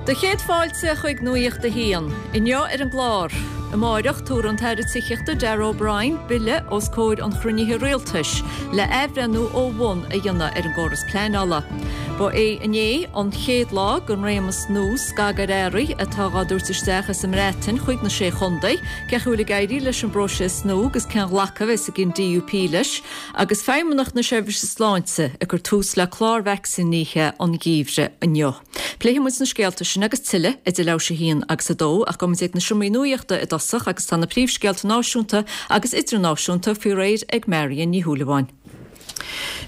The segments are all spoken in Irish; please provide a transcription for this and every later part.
Do chéad fáilte chuig Nuacht a hAon. Inniu ar an gclár, Amáireach tabharfaidh an tAire Tithíochta Darragh O'Brien bille os comhair an chruinnithe rialtais le athbhreithniú ó bhun a dhéanamh ar an gcóras pleanála. Ba é inné an chéad lá den réimeas nua scagadh ar earraí atá dhá dtabhairt isteach as an mBreatain chuig na Sé Chontae. Cén chaoi a bhfuil ag éirí leis an bpróiseas nua agus cén ghlacadh a bheas ag an DUP leis? Agus Feidhmeannacht na Seirbhíse Sláinte ag cur tús le clár vacsaínithe an gheimhridh inniu. Pléifidh muid na scéalta sin agus tuilleadh idir leathuair tar éis a haon agus a dó ach gabhfaidh muid ag na seomraí nuachta i dtosach agus tá na príomhscéalta náisiúnta agus idirnáisiúnta faoi réir ag Marion Ní Shúilleabháin.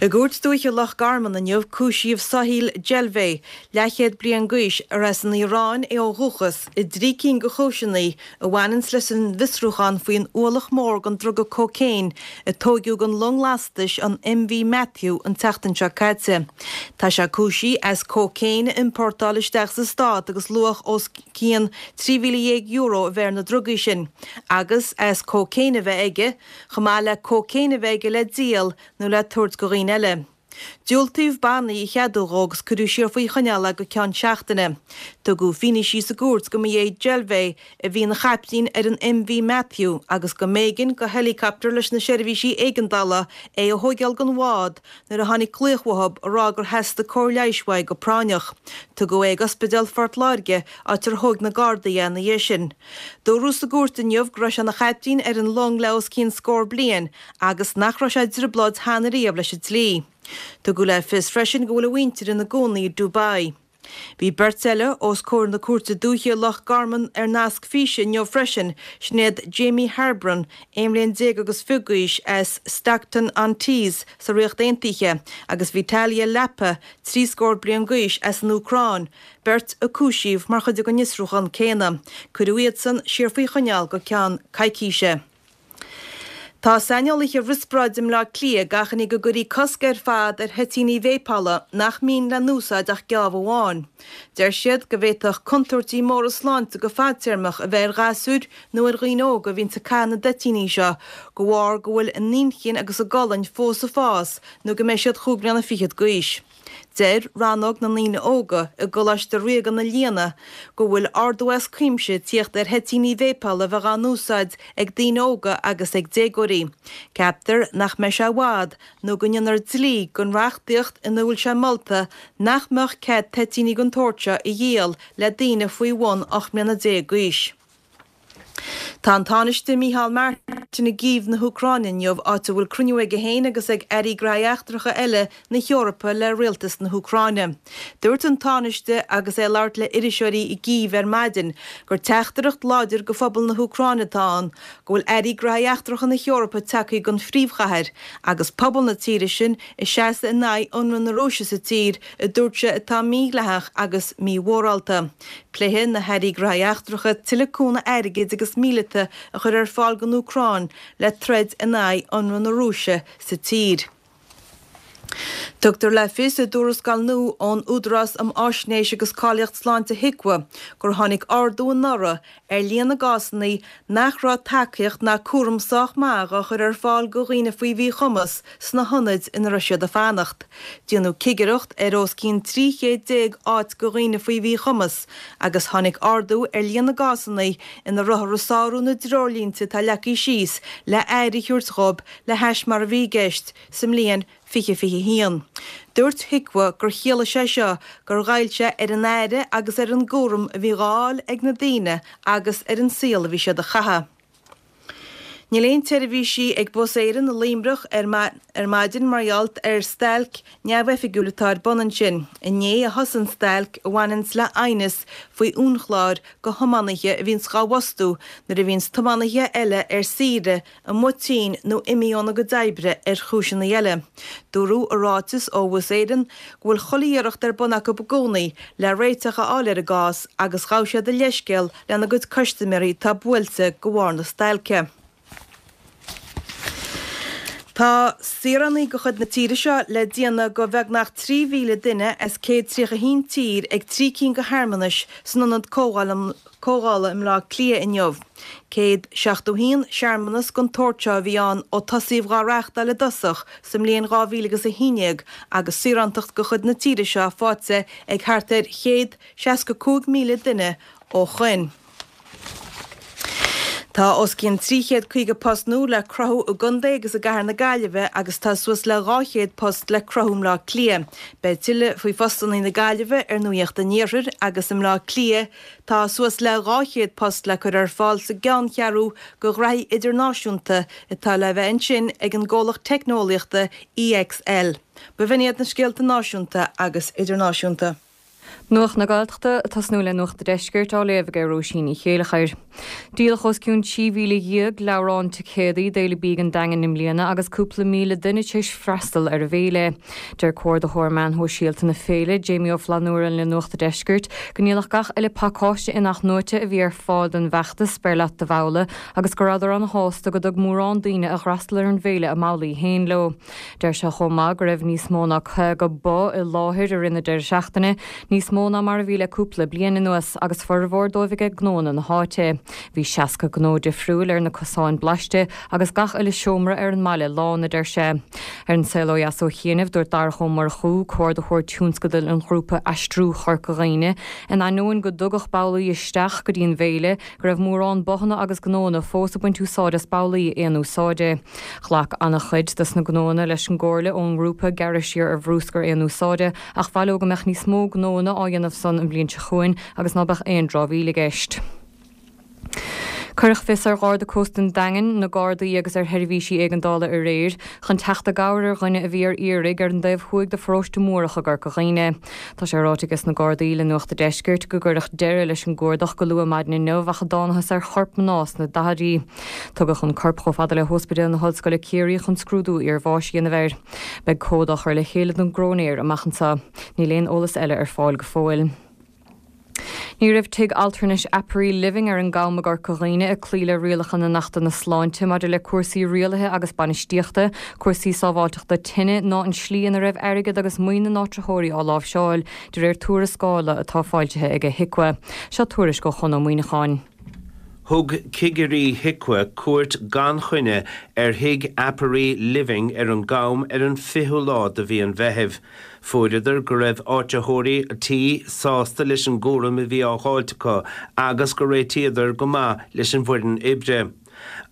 I gCúirt Dúiche Loch Garman inniu cúisíodh Soheil Jelveh, leathchéad bliain d'aois, ar as an Iaráin é ó dhúchas, i dtrí cinn de chúiseanna a bhaineanns leis an bhfiosrúchán faoin ualach mór den druga cócaon a tóigeadh den long lastais an MV Matthew an tseachtain seo caite. Tá sé cúisithe as cócaon a iompórtáil isteach sa stát agus luach os cionn €13,000 a bheith ar na drugaí sin, agus as cócaon a bheith aige, chomh maith le cócaon a bheith aige le díol nó le tabhairt go dhaoine eile. Diúltaíodh bannaí a cheadú dhó agus cuireadh siar faoi choinneáil é go ceann seachtaine. Tugadh fianaisí sa gcúirt go mba é Jelveh a bhí ina chaiptín ar an MV Matthew agus go mb'éigean go heileacoptar leis na seirbhísí éigeandála é a thóigeáil den bhád nuair a tháinig glaoch uathu a rá gur theastaigh cóir leighis uaidh go práinneach. Tugadh é ag Ospidéal Phort Láirge áit ar thóig na Gardaí é ina dhiaidh sin. Dúradh sa gcúirt inniu go raibh sé ina chaiptín ar an long le os cionn scór bliain agus nach raibh sé i dtrioblóid cheana riamh leis an dlí. Tugadh le fios freisin go bhfuil a mhuintir ina gcónaí i Dubai. Bhí beirt eile os comhair na Cúirte Dúiche i Loch Garman ar nasc físe inniu freisin, sin iad Jamie Harbron, 11 bhliain agus fiche d'aois, as Stockton-on-Tees sa Ríocht Aontaithe, agus Vitalia Lapa, trí scór bliain d'aois, as an Úcráin, beirt a cúisíodh mar chuid den fhiosrúchán céanna. Cuireadh iadsan siar faoi choinneáil go ceann coicíse. Tá saineolaithe riospráide i mBleá Cliath ag achainí go gcuirfí cosc ar fad ar thoitíní véipeála nach mbíonn le n-úsáid ach geábh amháin. Deir siad go bhféadfadh contúirtí móra sláinte go fadtéarmach a bheith ar ghasúir nó ar dhaoine óga a bhíonns ag caitheamh na dtoitíní seo de bharr go bhfuil a n-inchinn agus a gcolainn fós ag fás nó go mbeidh siad chúig bliana fichead d'aois. Deir Rannóg na nDaoine Óga i gColáiste Ríoga na Lianna go bhfuil ardú as cuimse ag tíocht ar thoitíní véipeála a bheith á n-úsáid ag daoine óga agus ag déagóirí. Ceaptar nach mbeidh sé i bhfad nó go ndéanfar dlí den reachtaíocht ina bhfuil sé molta nach mbeadh cead toitíní den tsórt seo a dhíol le daoine faoi bhun 18 mbliana d'aois. Tá an Tánaiste Micheál Martin i gCív na hÚcráine inniu, áit a bhfuil cruinniú aige féin agus ag airí gnóthaí eachtracha eile na hEorpa le rialtas na hÚcráine. Dúirt an Tánaiste agus é ag labhairt le iriseoirí i gCív ar maidin gur teachtaireacht láidir go phobal na hÚcráine atá ann go bhfuil airí gnóthaí eachtracha na hEorpa tagtha gon phríomhchathair agus pobal na tíre sin ag seasamh in aghaidh ionradh na Rúise sa tír a dúirt sé atá mídhleathach agus mímhórálta. Pléifidh na hairí gnóthaí eachtracha tuilleadh cúnamh airgid agus míleata a chur ar fáil don Úcráin le troid in aghaidh ionradh na Rúise sa tír. Tugtar le fios i dtuarascáil nua ón Údarás um Fháisnéis agus Cáilíocht Sláinte HIQA gur tháinig ardú anuraidh ar líon na gcásanna nach raibh tacaíocht ná cúram sách maith dhá chur ar fáil go dhaoine faoi mhíchumas sna hionaid ina raibh siad ag fanacht. Déanadh cigireacht ar os cionn 13 chéad áit go dhaoine faoi mhíchumas agus tháinig ardú ar líon na gcásanna ina rabhthar ag sárú na dtreoirlínte atá leagtha síos le aire a thabhairt dhóibh le hais mar a bhí i gceist sa mbliain 2021. Dúirt HIQA gur chiallaigh sé seo gur ghoill sé ar an aire agus ar an gcúram a bhí dhá fháil ag na daoine agus ar an saol a bhí siad a chaitheamh. Níl aon tseirbhísí ag Bus Éireann i Luimneach ar maidin mar gheall ar stailc neamhoifigiúil atá ar bun ansin. Inné a thosaigh an stailc a bhaineanns le aighneas faoi uainchlár go thiománaithe a bhíonns dhá bhfostú nuair a bhíonns tiománaithe eile ar saoire amuigh tinn nó imithe óna gcuid oibre ar chúiseanna eile. Dúradh i ráiteas ó Bhus Éireann go bhfuil chuile iarracht ar bun acu i gcónaí le réiteach a fháil ar an gcás agus ghabh siad a leithscéal lena gcuid custaiméirí atá buailte de bharr na stailce. Tá saoránaigh de chuid na tíre seo le déanamh de bheagnach 3,000 duine as 131 tír ag trí cinn de shearmanais san Ionad Comhdhála i mBleá Cliath inniu. 171 searmanas den tsórt seo a bhí ann ó tosaíodh dhá reáchtáil i dtosach sa mbliain 2000 agus 11 agus saorántacht de chuid na tíre seo faighte ag thart ar 165,000 duine ó shoin. Tá os cionn 350 post nua le cruthú i gcontae agus i gcathair na Gaillimhe agus tá suas le 200 post le cruthú i mBleá Cliath. Beidh tuilleadh faoi phostanna na Gaillimhe ar Nuacht an Iarthair agus i mBleá Cliath tá suas le 200 post le cur ar fáil sa gceanncheathrú do ghraithí idirnáisiúnta atá le bheith ansin ag an gcomhlacht teicneolaíochta EXL. B'in iad na scéalta náisiúnta agus idirnáisiúnta. Nuacht na Gaeltachta, ag tosnú le Nuacht an Deiscirt á léamh ag Róisín Ní Chéileachair. Díoladh os cionn 13,000 leabhrán ticéadaí d'Fhéile Bídh an Daingin i mbliana agus cúpla 1,000 duine tar éis freastal ar an bhféile. Deir Comhordaitheoir Meán Shóisialta na féile, Jamie Ó Flannúra le Nuacht an Deiscirt, go ndíoladh gach uile pacáiste in-athnuaite a bhí ar fáil don bhfeachtas Beir Leat Do Bhabhla agus go rabhadar ana-shásta go dtug mórán daoine a d'fhreastail ar an bhféile a mbabhlaí féin leo. Deir sé chomh maith go raibh níos mó ná 50 bó i láthair i rith na deireadh seachtaine, níos mó ná mar a bhí le cúpla bliain anuas, agus formhór dóibh aige gnóanna na háite. Bhí 60 gnó difriúil ar na cosáin blaiste agus gach uile seomra ar an mbaile lán, a deir sé. Ar An Saol Ó Dheas ó chianaibh, dúirt Darach Ó Murchú, comhordaitheoir tionscadail an ghrúpa Aistriú Chorca Dhuibhne, in ainneoin go dtugadh babhlaí isteach go dtí an bhféile, go raibh mórán bothanna agus gnóanna fós ag baint úsáid as babhlaí aon úsáide. Ghlac an-chuid dos na gnóanna leis an gcomhairle ón ngrúpa gearradh siar ar bhrúscar aon úsáide ach mhaith leo go mbeadh níos mó gnóanna á dhéanamh san an bhliain seo chugainn agus ná beadh aon dramhaíl i gceist. Cuireadh fios ar Gharda Cósta an Daingin, na Gardaí agus ar sheirbhísí éigeandála aréir chun teacht i gcabhair ar dhuine a bhí ar iarraidh ar an dtaobh thuaidh de pharóiste Múrach i gCorca Dhuibhne. Tá sé ráite ages na Gardaí le Nuacht a' Deiscirt go gcuireadh deireadh leis an gcuardach go luath maidin inniu ach a dtánathas ar chorp mná sna daichidí. Tugadh an corp chomh fada le hOspidéal na hOllscoile Ciarraí chun scrúdú iarbháis a dhéanamh air. Beidh comhad á chur le chéile don gcróinéir amach anseo. Níl aon eolas eile ar fáil go fóill. Ní raibh tigh altranais Aperee Living ar an gCam i gCorca Dhuibhne ag cloí le rialacha na nAchtanna Sláinte maidir le cúrsaí rialaithe agus bainistíochta, cúrsaí sábháilteachta tine ná an slí ina raibh airgead agus maoin na n-áitritheoirí á láimhseáil, de réir tuarascála atá foilsithe ag HIQA. Seo tuairisc ó Chon Ó Muíneacháin. Thug cigirí HIQA cuairt gan choinne ar thigh Aperee Living ar an gCam ar an 20ú lá de mhí an Mheithimh. Fuaireadar go raibh áitritheoirí an tí sásta leis an gcúram a bhí á dh'fháilt acu agus gur réitíodar go maith leis an bhfoireann oibre.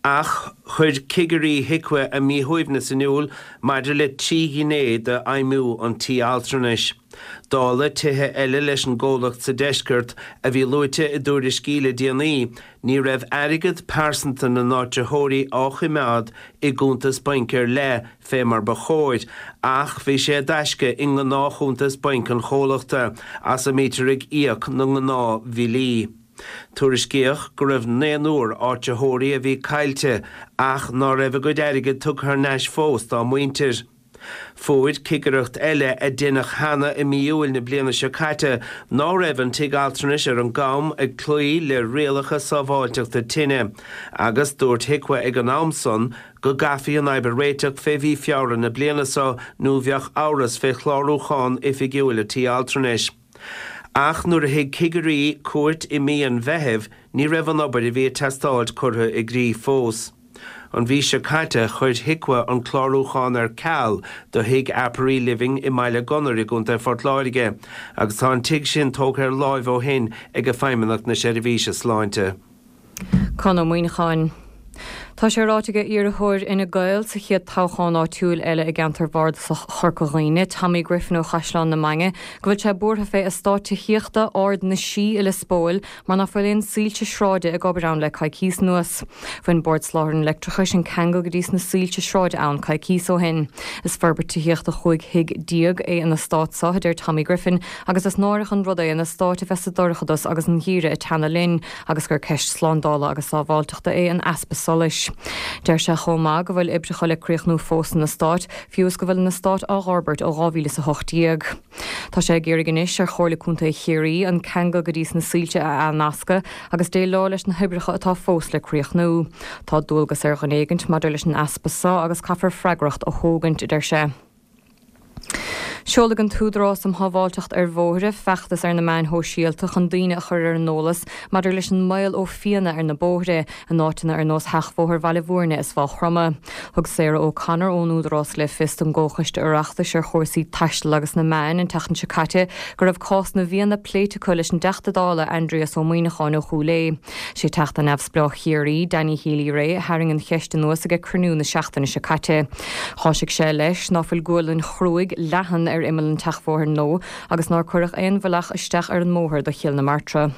Ach chuir cigirí HIQA a míshuaimhneas in iúl maidir le trí ghné d'fheidhmiú an tí altranais. Dála tithe eile leis an gcomhlacht sa deisceart a bhí luaite i dtuairiscí le déanaí, ní raibh airgead pearsanta na n-áitritheoirí á choimeád i gcuntas bainc ar leith fé mar ba chóir, ach bhí sé i dtaisce i ngnáthchuntas bainc an chomhlachta, as a mbítear ag íoc na ngnáthbhillí. Tuairiscíodh go raibh naonúr áitritheoirí a bhí caillte ach ná raibh a gcuid airgid tugtha thar n-ais fós dá muintir. Fuair cigireacht eile a deineadh cheana i mí Iúil na bliana seo caite ná raibh an tigh altranais ar an gCam ag cloí le rialacha sábháilteachta tine agus dúirt HIQA ag an am san go gcaithfí an fhadhb a réiteach fé mhí Feabhra na bliana seo nó bheadh amhras fé chlárúchán oifigiúil an tí altranais. Ach nuair a thig cigirí cuairt i mí an Mheithimh ní raibh an obair a bhí ag teastáilt curtha i gcrích fós. An mhí seo caite chuir HIQA an clárúchán ar ceal do thigh Aperee Living i mBaile Gunnair i gContae Phort Láirge agus tá an tigh sin tógtha ar láimh ó shin ag Feidhmeannacht na Seirbhíse Sláinte. Conn Ó Muíneacháin. Tá sé ráite ag iarrthóir Fhine Gael sa chéad toghchán áitiúil eile i gceantar bhardasach Chorca Dhuibhne, Tommy Griffin ó Chaisleán na Mainge, go bhfuil sé buartha fé eastát tithíochta Ard na Sí i Lios Póil mar ná fuil aon soilse sráide ag obair ann le coicíos anuas. Bhain Bord Soláthair an Leictreachais an ceangal go dtí sna soilse sráide ann coicíos ó shin. Is forbairt tithíochta 15 thigh é an eastát seo, a deir Tommy Griffin, agus is náireach an rud é an eastát a bheith sa dorchadas agus an geimhreadh ag teannadh linn agus gur ceist slándála agus sábháilteachta é an easpa solais. anois. Deir sé chomh maith go bhfuil oibreacha le críochnú fós san eastát, fiú is go bhfuil an eastát á dh'fhorbairt ó 2018. Tá sé ag iarraidh anois ar Chomhairle Contae Chiarraí an ceangal go dtí sna soilse a athnascadh agus déileáil leis na hoibreacha atá fós le críochnú. Tá dualgas ar dhuine éigint maidir leis an easpa so agus caithfear freagracht a thógaint, a deir sé. Seolfaidh an tÚdarás um Shábháilteacht ar Bhóithre feachtas ar na meáin shóisialta chun daoine a chur ar an eolas maidir leis an mbaol ó phianna ar na bóithre in áiteanna ar nós Sheachbhóthar Bhaile Bhúirne is Mhaigh Chromtha. Thug Sarah O'Connor ón Údarás le fios don gComhchoiste Oireachtais ar chúrsaí Taistil agus na Meáin an tseachtain seo caite go raibh cás na bhfianna pléite acu leis an dTeachta Dála Aindrias Ó Muimhneacháin ó Chúil Aodha. Sé Teachta Neamhspleách Chiarraí, Danny Healy-Rae, a tharraing an cheist anuas aige cruinniú na seachtaine seo caite. Cháisigh sé leis ná fuil gualainn chruaidh leathan ar imeall an tseachbhóthair nua agus nár cuireadh aon bhealach isteach ar an mbóthar do Chill na Martra.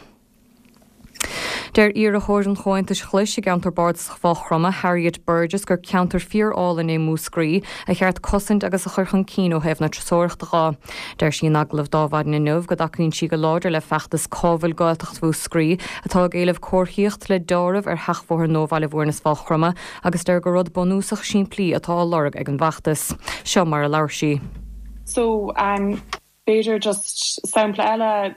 Deir iarrthóir an Chomhaontais Ghlais i gceantar Bardasach Mhaigh Chromtha, Harriet Burgess, gur ceantar fíor-álainn é Múscraí, a cheart cosaint agus a chur chun cinn ó thaobh na turasóireachta dho. Deir sí in agallamh d'Adhmhaidin inniu go dtacaíonn sí go láidir le feachtas Cá bhfuil Gaeltacht Mhúscraí atá ag éileamh comharthaíocht le deáramh ar sheachbhóthar nua Bhaile Bhúirne is Mhaigh Chromtha agus deir gur rud bunúsach simplí atá á lorg ag an bhfeachtas. Seo mar a labhair sí. So, B'fhéidir just sampla eile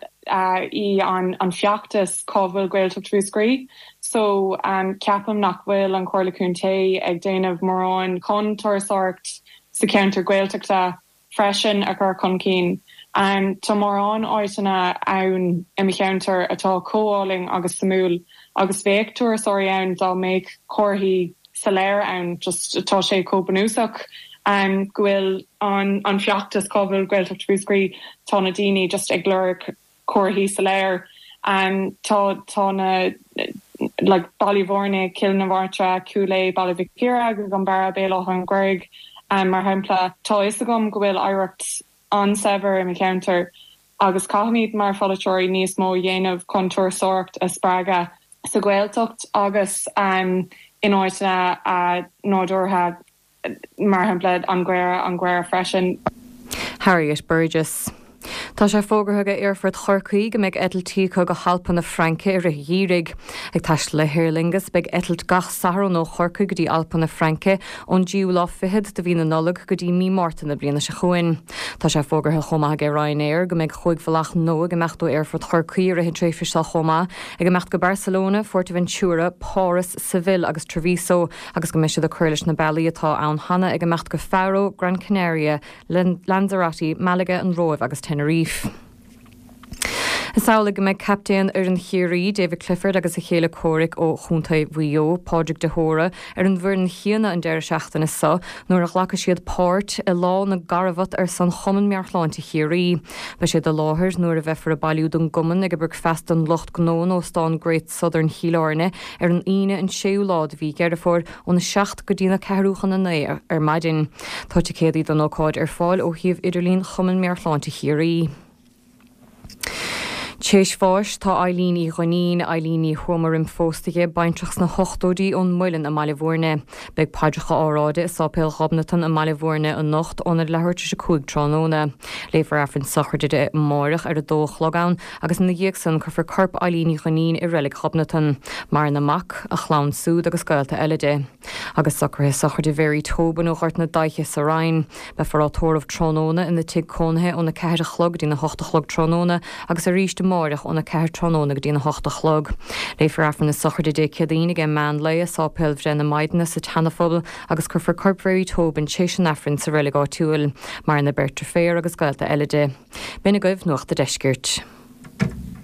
í an feachtas Cá bhfuil Gaeltacht Mhúscraí? So ceapaim nach bhfuil an Chomhairle Contae ag déanamh mórán chun turasóireacht sa cheantar Gaeltachta freisin a chur chun cinn. Tá mórán áiteanna ann i mo cheantar atá chomh álainn agus suimiúil agus bheadh turasóirí ann dá mbeadh comharthaí soiléir ann. Just tá sé chomh bunúsach go bhfuil an an feachtas Cá bhfuil Gaeltacht Mhúscraí tá na daoine just ag lorg comharthaí soiléir. Tá tá na like Baile Bhúirne, Cill na Martra, Cúil Aodha, Baile Mhic Íre, An Barra, Béal Átha an Ghaorthaidh mar shampla. Tá fhios agam go bhfuil oidhreacht an-saibhir i mo cheantar agus caithfimid mar pholaiteoirí níos mó a dhéanamh chun turasóireacht a spreagadh sa Ghaeltacht agus in áiteanna nádúrtha, mar shampla an Mhuir, an Mhuir freisin. Harriet Burgess. Tá sé fógartha ag Aerfort Chorcaí go mbeidh eitiltí acu go hAlpa na Fraince i rith an gheimhridh. Ag taisteal le hAer Lingus beidh eitilt gach Satharn ó Chorcaigh go dtí Alpa na Fraince ón dtríú lá fichead de mhí na Nollag go dtí mí Márta na bliana seo chugainn. Tá sé fógartha chomh maith ag Ryanair go mbeidh chúig bhealach nua ag imeacht ó Aerfort Chorcaí i rith an tréimhse seo chomh maith, ag imeacht go Barcelona, Fuerteventura, Páras, Seville agus Treviso agus go mbeidh siad ag cur leis na bealaí atá ann cheana ag imeacht go Faro, Gran Canaria, Lanzarote, Malaga, an Róimh agus Tenerife. Is amhlaidh go mbeidh captaen fhoireann Chiarraí, David Clifford agus a chéile comhraic ó chontae Mhaigh Eo, Pádraig de hÓra, ar an bhfoireann chéanna an deireadh seachtaine seo nuair a ghlacfaidh siad páirt i Lá na gCarbhat ar son Chumann Meabhairshláinte Chiarraí. Beidh siad i láthair nuair a bheifear ag bailiú don gcumann ag bricfeasta don lucht gnó in Óstán Great Southern Chill Airne ar an Aoine an 6ú lá de mhí Dheireadh Fómhair óna 7 go dtína ceathrú chun a 9 ar maidin. Tá ticéadaí don ócáid ar fáil ó shuíomh idirlín Chumann Meabhairshláinte Chiarraí. T'éis bháis tá Eileen Uí Dhuinnín, Eileen Ní Thuama roim phósta di, baintreach sna hochtóidí ón Muileann i mBaile Bhúirne. Beidh paidreacha á rá di i Sáipéal Ghobnatan i mBaile Bhúirne anocht óna leathuair tar éis 5 tráthnóna. Léifear Aifreann sochraide di amáireach ar a dó a chlog ann agus ina dhiaidh san cuirfear corp Eileen Uí Dhuinnín i Reilig Ghobnatan. Maireann a mac, a chlann súd agus gaolta eile di. Agus socruithe sochraide Mhary Tobin ó Ghort na Daiche sa Rinn. Beifear á tórramh tráthnóna ina tigh cónaithe óna 4 a chlog go dtína 8 a chlog tráthnóna agus arís amáireach óna 4 tráthnóna go dtína 8 a chlog. Léifear Aifreann na sochraide Dé Céadaoin ag meán lae i Sáipéal Bhreith na Maighdine sa tSeanaphobal agus cuirfear corp Mhary Tobin t'éis an Aifrinn sa reilig áitiúil. Maireann a beirt deirféar agus gaolta eile di. B'in agaibh Nuacht a' Deiscirt.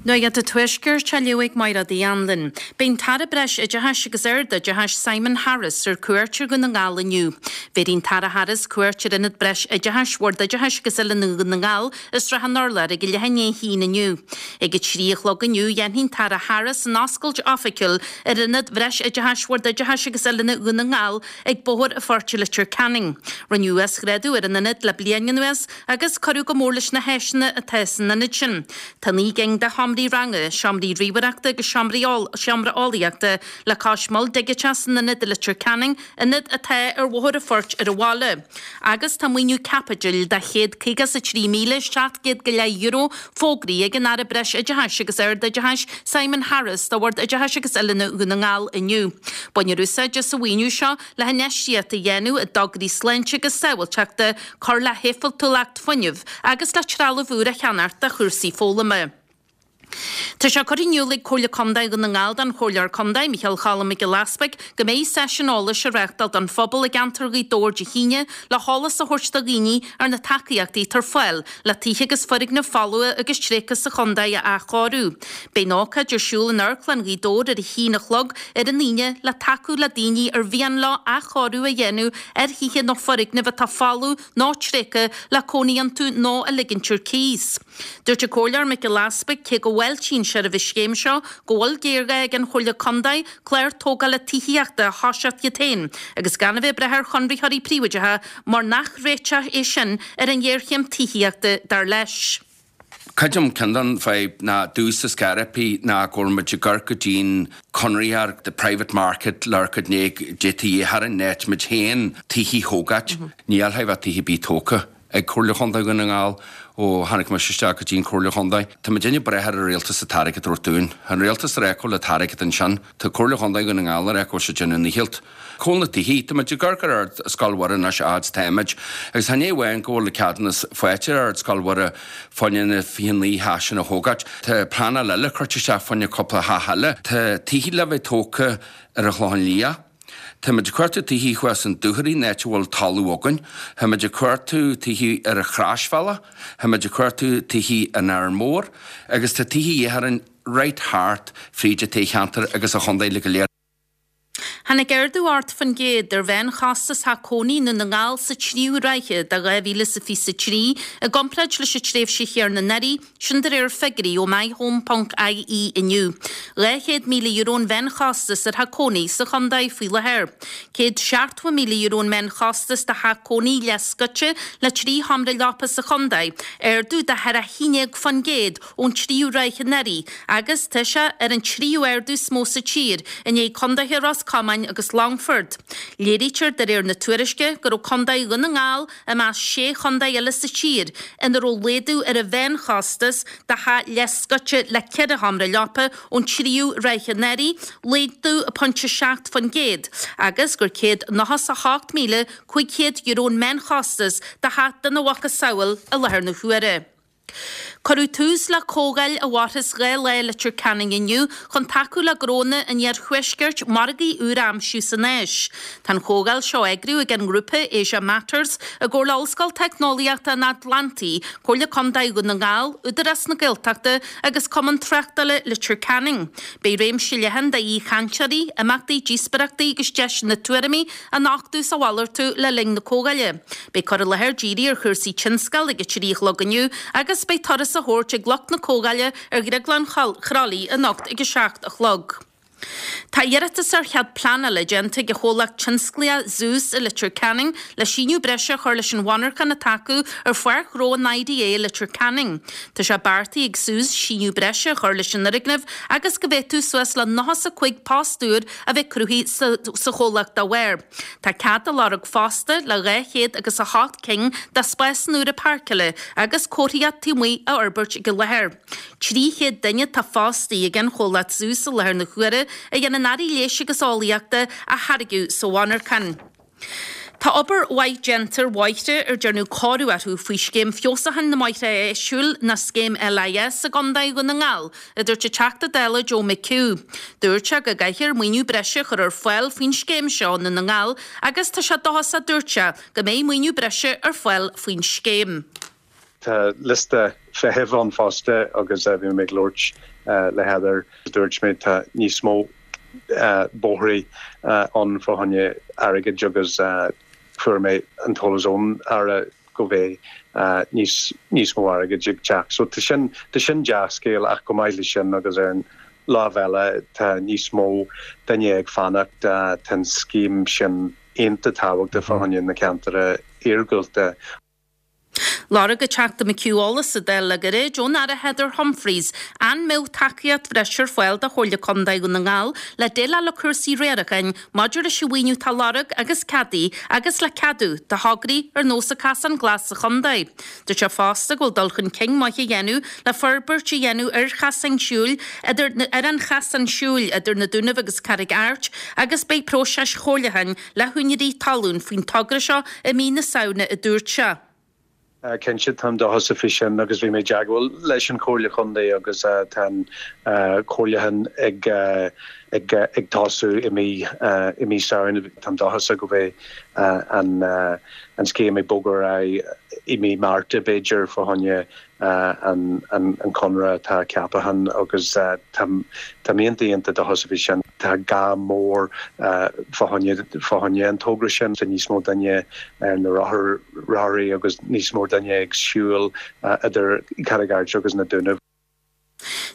Nuacht an Tuaiscirt á léamh ag Mairéad Uí Anluain. Beidh an tAire Breis-Oideachais agus Ard-Oideachais Simon Harris ar cuairt ar Dhún na nGall inniu. Bhéarfaidh an tAire Harris cuairt ar Ionad Breis-Oideachais Bhord Oideachais agus Oiliúna Dhún na nGall i Srath an Urláir ag a leath i ndiaidh a haon inniu. Ag a 3 a chlog inniu dhéanfaidh an tAire Harris an oscailt oifigiúil ar Ionad Bhreis-Oideachais Bhord Oideachais agus Oiliúna Dhún na nGall ag Bóthar an Phoirt i Leitir Ceanainn. Rinneadh uasghrádú ar an ionad le bliain anuas agus cuireadh go mór leis na háiseanna atá san ionad sin. Tá 9 gcinn de sheomraí. seomraí ranga, seomraí ríomhaireachta agus seomra eolaíochta le cois mol digiteach san ionad i Leitir Ceanainn, ionad atá ar Bhóthar an Phoirt ar an bhaile. Agus tá maoiniú caipitil de €153,700 go leith euro fógraithe ag an Aire Breis Oideachais agus Ard-Oideachais Simon Harris do Bhord Oideachais agus Oiliúna Dhún na nGall inniu. Bainfear úsáid as an mhaoiniú seo le hinfheistíocht a dhéanamh i dtograí sláinte agus sábháilteachta, cur le héifeachtúlacht fuinnimh agus le trealamh úr a cheannacht do chúrsaí foghlama. Tá sé curtha in iúl ag Comhairle Contae Dhún na nGall don Chomhairleoir Contae, Micheál Cholm Mac Giolla Easpaig, go mbeidh seisiún eolais á reáchtáil don phobal i gceantar Ghaoth Dobhair Dé hAoine le heolas a thabhairt do dhaoine ar na tacaíochtaí atá ar fáil le tithe agus foirgnimh folmha agus tréigthe sa chontae a athchóiriú. Beidh an ócáid ar siúl in Amharclann Ghaoth Dobhair ar a haon a chlog ar an Aoine le tacú le daoine ar mhian leo athchóiriú a dhéanamh ar thithe nó foirgnimh atá folamh nó tréigthe le cónaí iontu nó a ligint ar cíos. Dúirt an Comhairleoir Mac Giolla Easpaig cé go bhfáiltíonn sé roimh an scéim seo, go bhfuil géarghá ag an Chomhairle Contae clár tógála tithíochta a thoiseacht iad féin agus gan a bheith ag brath ar chonraitheoirí príobháideacha mar nach réiteach é sin ar an ghéarchéim tithíochta, dar leis. Creidim ceann den fadhb ná domhsa scaireapaí ná go bhfuil muid ag amharc go dtí'n conraitheoir, the private market, le amharc go dtí thar an áit muid féin tithí thógáit. Níl a bheith tithe bith tógtha. ag Comhairle Chontae Dhún na nGall ó tháinig mise isteach go dtí an Chomhairle Chontae. Tá muid ag brath ar an Rialtas an t-airgead a thabhairt dúinn. Tá an Rialtas ag rá go bhfuil an t-airgead ansin. Tá Comhairle Chontae Dhún na nGall ag rá go bhfuil siad ag déanamh a ndícheall. Cá bhfuil na tithí? Tá muid ag amharc ar Ard Scoil Mhuire anois a fhad is táimid. Agus chan é amháin go bhfuil an ceadúnas faighte ar Ard Scoil Mhuire fá choinne na 29 theach sin a thógáilt. Tá pleanáil eile curtha isteach fá choinne cúpla theach eile. Tá tithí le bheith tógtha ar an Chlochán Liath. Táimid ag cuartú tithí thuas in Dúchoraidh, an áit a bhfuil talamh againn. Táimid ag cuartú tithí ar an Chroisbhealach. Táimid ag cuartú tithí in Árainn Mhór. Agus tá tithí a dhíth orainn right thart fríd an toghcheantar agus an chontae uilig go léir. Tháinig ardú 8% ar mheánchostas theach cónaí i nDún na nGall sa tríú ráithe de 2023 i gcomparáid leis an tréimhse chéanna anuraidh, Sin de réir figiúirí ó MyHome ponc ie inniu. €200,000 an mheánchostas ar theach cónaí sa chontae faoi láthair. €170,000 an meánchostas do theach cónaí leathscoite le 3 sheomra leapa sa chontae, ardú de thar 11% ón tríú ráithe anuraidh agus tá sé ar an tríú ardú is mó sa tír i ndiaidh contaetha Ros Comáin agus Longfort. Léirítear de réir na tuairisce go raibh contae Dhún na nGall i measc sé chontae eile sa tír ina raibh laghdú ar an mheánchostas do theach leathscoite le 4 sheomra leapa ón tríú ráithe anuraidh, laghdú 0.7%, agus gur €198,500 an meánchostas do theach dena mhacasamhail i láthair na huaire. Cuireadh tús le comhdháil i bParthas 2 lá i Leitir Ceanainn inniu chun tacú le gnónna an iarthuaiscirt margaí úr a aimsiú san Áis. Tá an chomhdháil seo á eagrú ag an ngrúpa Asia Matters i gcomhar le Ollscoil Teicneolaíochta an Atlantaigh, Comhairle Contae Dhún na nGall, Údarás na Gaeltachta agus Cumann Tráchtála Leitir Ceanainn. Beidh réimse leathan d'aoichainteoirí, imeachtaí, díospóireachtaí agus deiseanna tuairimí a nochtadh is a mhalartú le linn na comhdháile. Beidh cur i láthair dírithe ar chúrsaí tionscail ag a 3 a chlog inniu agus beidh turas á thabhairt ag lucht na comhdháile ar Dhrioglann Chroithlí anocht ag a 7 a chlog. Tá iarratas ar chead pleanála déanta ag an chomhlacht tionsclaíoch Zeus i Leitir Ceanainn le síneadh breise a chur leis an mhonarchan atá acu ar pháirc ghnó an IDA i Leitir Ceanainn. Tá sé beartaithe ag Zeus síneadh breise a chur leis an fhoirgneamh agus go bhféadfadh suas le 95 post úr a bheith cruthaithe sa chomhlacht dá bharr. Tá cead á lorg fosta le 200 agus 8 cinn de spásanna úra páirceála agus comharthaíocht taobh amuigh a fhorbairt ag an láthair. 300 duine atá fostaithe ag an chomhlacht Zeus i láthair na huaire a dhéanann earraí leighis agus eolaíochta a tháirgeadh sa mhonarchan. Tá obair mhaith déanta ar bhóithre ar dearnadh cóiriú orthu faoi Scéim Feabhsúcháin na mBóithre Áitiúil nó Scéim LIS i gContae Dhún na nGall, a dúirt an Teachta Dála Joe McHugh. Dúirt sé go gcaithfear maoiniú breise a chur ar fáil faoin scéim seo i nDún na nGall agus tá sé dóchasach, dúirt sé, go mbeidh maoiniú breise ar fáil faoin scéim. Tá liosta feithimh ann fosta agus bhí mé ag labhairt le Heather, dúirt mé tá níos mó bóithrí ann fá choinne airgid agus fuair mé an t-eolas ón Aire go mbeidh níos níos mó airgid ag teacht. So tá sin tá sin dea-scéal ach chomh maith leis sin agus ar an lámh eile tá níos mó duine ag fanacht, tá an scéim sin iontach tábhachtach fá choinne na ceantair iargúlta. Lorg an Teachta McHugh eolas sa Dáil le gairid ón Aire Heather Humphreys an mbeadh tacaíocht bhreise ar fáil do Chomhairle Contae Dhún na nGall le déileáil le cúrsaí riaracháin maidir leis an mhaoiniú atá á lorg agus ceadaithe agus le ceadú do thograí ar nós an Casán Glas sa chontae. Dúirt sé fosta go bhfuil dul chun cinn maith á dhéanamh le forbairt a dhéanamh ar chasán siúil idir ar an chasán siúil idir na Dúnaibh agus Carraig Airt agus beidh próiseas chomhairliúcháin le húinéirí talún faoin togra seo i mí na Samhna, a dúirt sé. Cinnte, táim dóchasach faoi sin agus bhí mé i dteagmháil leis an Chomhairle Chontae agus tá an comhairliúchán ag ag ag tosú i mí i mí Samhain. Táim dóchasach go mbeidh an an scéim ag bogadh ar aghaidh i mí Márta b'fhéidir fá choinne an conradh atá ceaptha agus táim iontach iontach dóchasach faoi sin. Tá gá mór fá choinne an togra sin. Tá níos mó duine ar na rothair agus níos mó duine ag siúl idir Carraig Airt agus na Dúnaibh.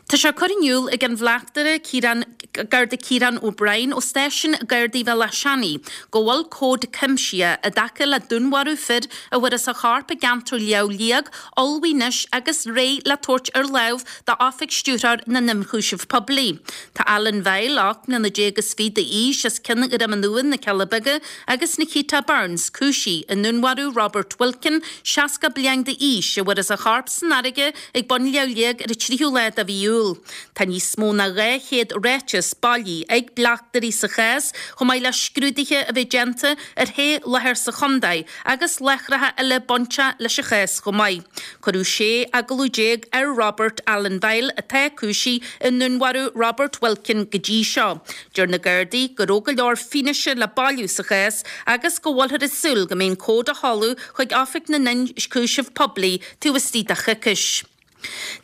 Tá sé curtha in iúl ag an Bhleachtaire Ciarán, Garda Ciarán O'Brien ó Stáisiún Gardaí Bhéal Átha Seanaidh go bhfuil comhad cuimsithe i dtaca le dúnmharú fir a bhfuarthas a chorp i gceantar Shleabh Liag ullmhaithe anois agus réidh le tabhairt ar láimh d'Oifig Stiúrthóir na nIonchúiseamh Poiblí. Tá Alan Vile, 18 mbliana is fiche d'aois, as Cionn Dhroim an Abhann, na Cealla Beaga, agus Nikita Burns, cúisithe i ndúnmharú Robert Wilkin, 60 bliain d'aois, a bhfuarthas a chorp san fharraige ag bun Shleabh Liag ar an tríú lá de mhí Iúil. Tá níos mó ná 200 ráiteas bailithe ag bleachtairí sa chás, chomh maith le scrúduithe a bheith déanta ar shé láthair sa chontae agus láithreacha eile bainteach leis an chás chomh maith. Cuireadh 16 agallamh ar Robert Alan Vile, atá cúisithe i ndúnmharú Robert Wilkin go dtí seo. Deir na Gardaí go raibh go leor fianaise le bailiú sa chás agus go bhfuilthear ag súil go mbeidh an comhad á sheoladh chuig Oifig na nIonchúiseamh Poiblí taobh istigh de choicís.